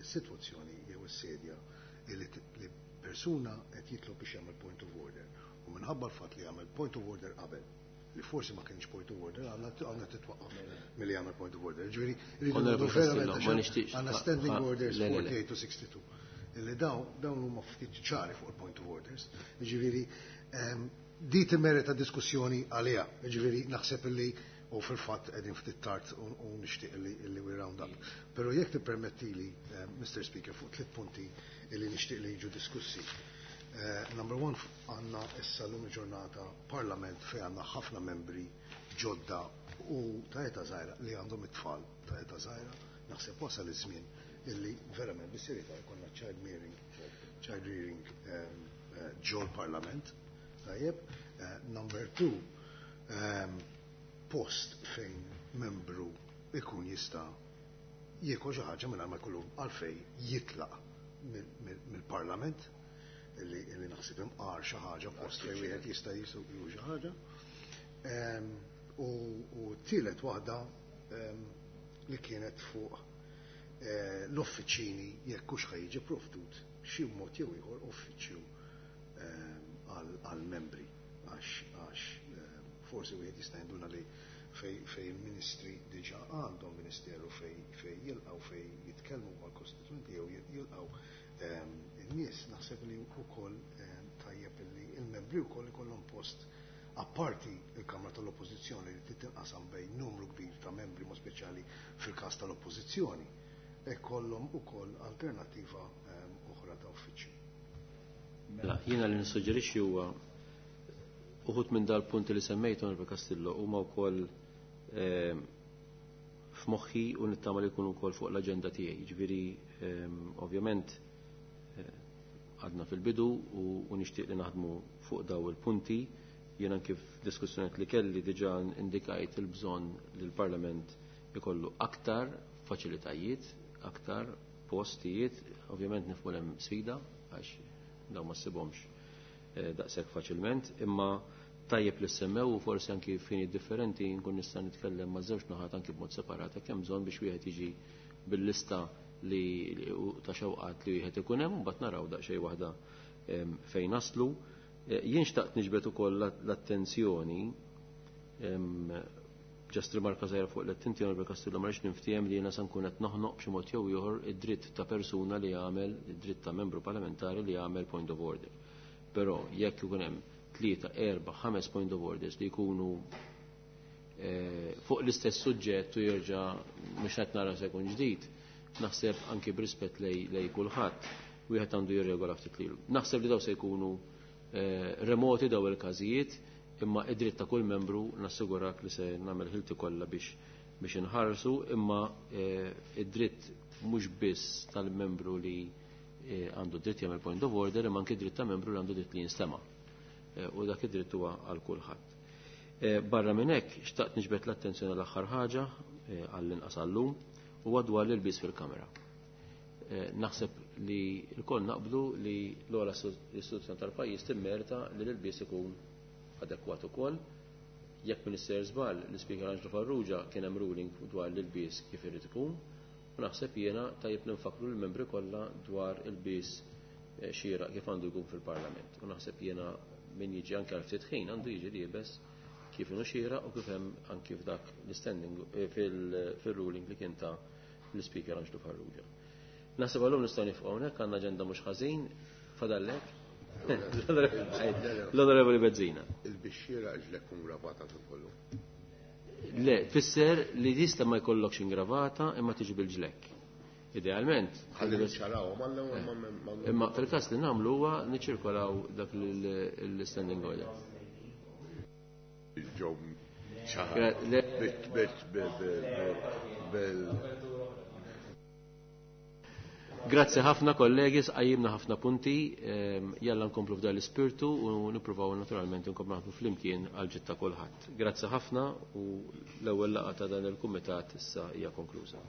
sitwazzjoni jew is-sedja li persuna qed jitlob biex jagħmel point of order u minħabba l-fatt li jagħmel point of order qabel li forsi ma kienx point of order għandna titwaqqaf milli jagħmel point of order. Ġifieri rridu verament għandna standing orders 48 to 62 illi dawn huma ftit ċari fuq il-point of orders. Ġifieri di timmerita diskussjoni għaliha. Ġifieri naħseb illi u fil-fatt qegħdin ftit tard u nixtieq illi we round up. Però jekk tippermettili, Mr. Speaker, fuq tliet punti illi nixtieq li jiġu diskussi. Number one, għandna issa l-lum ġurnata parlament fej għandna ħafna membri ġodda u ta' età żgħira li għandhom it-tfal ta' età żgħira, naħseb wasal iż-żmien illi verament bis-serjetà jkollna child rearing ġol parlament. Tajjeb. Number two, post fejn membru ikun jista' jiekol xi ħaġa mingħajr ma jkollu għalfejn jitlaq mill-parlament illi naħseb imqar xi ħaġa post fejn wieħed jista' jisuq xi ħaġa. U tielet waħda li kienet fuq l-uffiċini jekk hux ħa jiġi provdut xi mod jew ieħor uffiċċju għal-membri għax forsi wieħed jista' jinduna li fej il-ministri diġà għandhom ministeru fej jilqgħu fej jitkellmu mal-kostituenti jew jilqgħu in-nies, naħseb li wkoll tajjeb li il-membri wkoll ikollhom post Apparti il-Kamra tal-Oppożizzjoni li trid tinqasam bejn numru kbir ta' membri mod speċjali fil-każ tal-Oppożizzjoni, ikollhom ukoll alternattiva oħra ta' uffiċċju. Mela, jiena li nissuġġerixxi huwa uħud minn dal-punti li semmejt Onorevoli Castillo huma wkoll f'moħħi u nittama li jkunu wkoll fuq l-aġenda tiegħi. Jiġifieri ovvjament għadna fil-bidu u nixtieq li naħdmu fuq daw il-punti. Jiena kif diskussjoniet li kelli diġà indikajt il-bżonn li l-Parlament ikollu aktar faċilitajiet, aktar postijiet, ovvjament nifhmu hemm sfida għax daw ma ssibhomx daqshekk faċilment, imma tajjeb li semmew u forsi anki fini differenti nkun nista' nitkellem ma' żewġ naħat anki b'mod separat hekk hemm bżonn biex wieħed jiġi bil-lista li ta' xewqat li wieħed ikun hemm u mbagħad naraw daqsxejn waħda fejn naslu. Jien xtaqt niġbed ukoll l-attenzjoni ġast rimarka żgħira fuq l-attenzjoni Onorevoli Castillo ma rridx niftiehem li jiena se nkun qed noħnoq b'xi mod jew ieħor id-dritt ta' persuna li jagħmel id-dritt ta' membru parlamentari li jagħmel point of order. Però jekk ikun hemm 3, 4, 5 point of orders li jkunu fuq l-istess suġġett u jerġa' mhux qed nara se jkun ġdid, naħseb anki b'rispett lej kulħadd wieħed għandu jirregola ftit lilu. Naħseb li daw se jkunu remoti daw il-każijiet, imma id-dritt ta' kull membru nassigurak li se nagħmel ħilti kollha biex inħarsu, imma id-dritt mhux biss tal-membru li għandu dritt jagħmel point of order, imma anke dritt ta' membru li għandu dritt li jinstema'. U dak id-dritt huwa għal kulħadd. Barra minn hekk xtaqt niġbed l-attenzjoni l-aħħar ħaġa għall-inqas għallum huwa dwar l-ilbies fil-kamera. Naħseb li lkoll naqblu li l-ogħla istituzzjoni tal-pajjiż timmerita li l-ilbies ikun adekwat ukoll. Jekk Minister żball, l-Ispeaker Angelo Farrugia kien hemm ruling dwar l-ilbies kif irid ikun, u naħseb jiena tajjeb ninfakru l-membri kollha dwar il-bies xieraq kif għandu jkun fil-Parlament. U naħseb jiena min jiġi anke għal ftit ħin għandu jiġi liebes kif inhu xieraq u kif hemm anke f'dak l-standing fil-ruling li kien ta' l-Ispeaker Angelo Farrugia. Naħseb għallum nistgħu nifqgħu hawnhekk, għandna aġenda mhux ħażin, fadallek. L-Onorevoli Bezzina. Il-bixxiera ġlek ingravata fil-kollu. Le, tfisser li tista' ma jkollokx ingravata imma tiġi bil-ġlek. Idealment. Ħalli niċċaraw, ma l-ewwel ma Imma fil-każ li nagħmlu huwa niċċirkolaw dak l-standing order. Ġew bil Grazzi ħafna kollegi, sqajjimna ħafna punti, jalla nkomplu f'dan l-ispirtu u nippruvaw naturalment nkomplu naħdmu flimkien għal ġid ta' kulħadd. Grazzi ħafna u l-ewwel laqgħa ta' dan il-kumitat issa hija konkluża.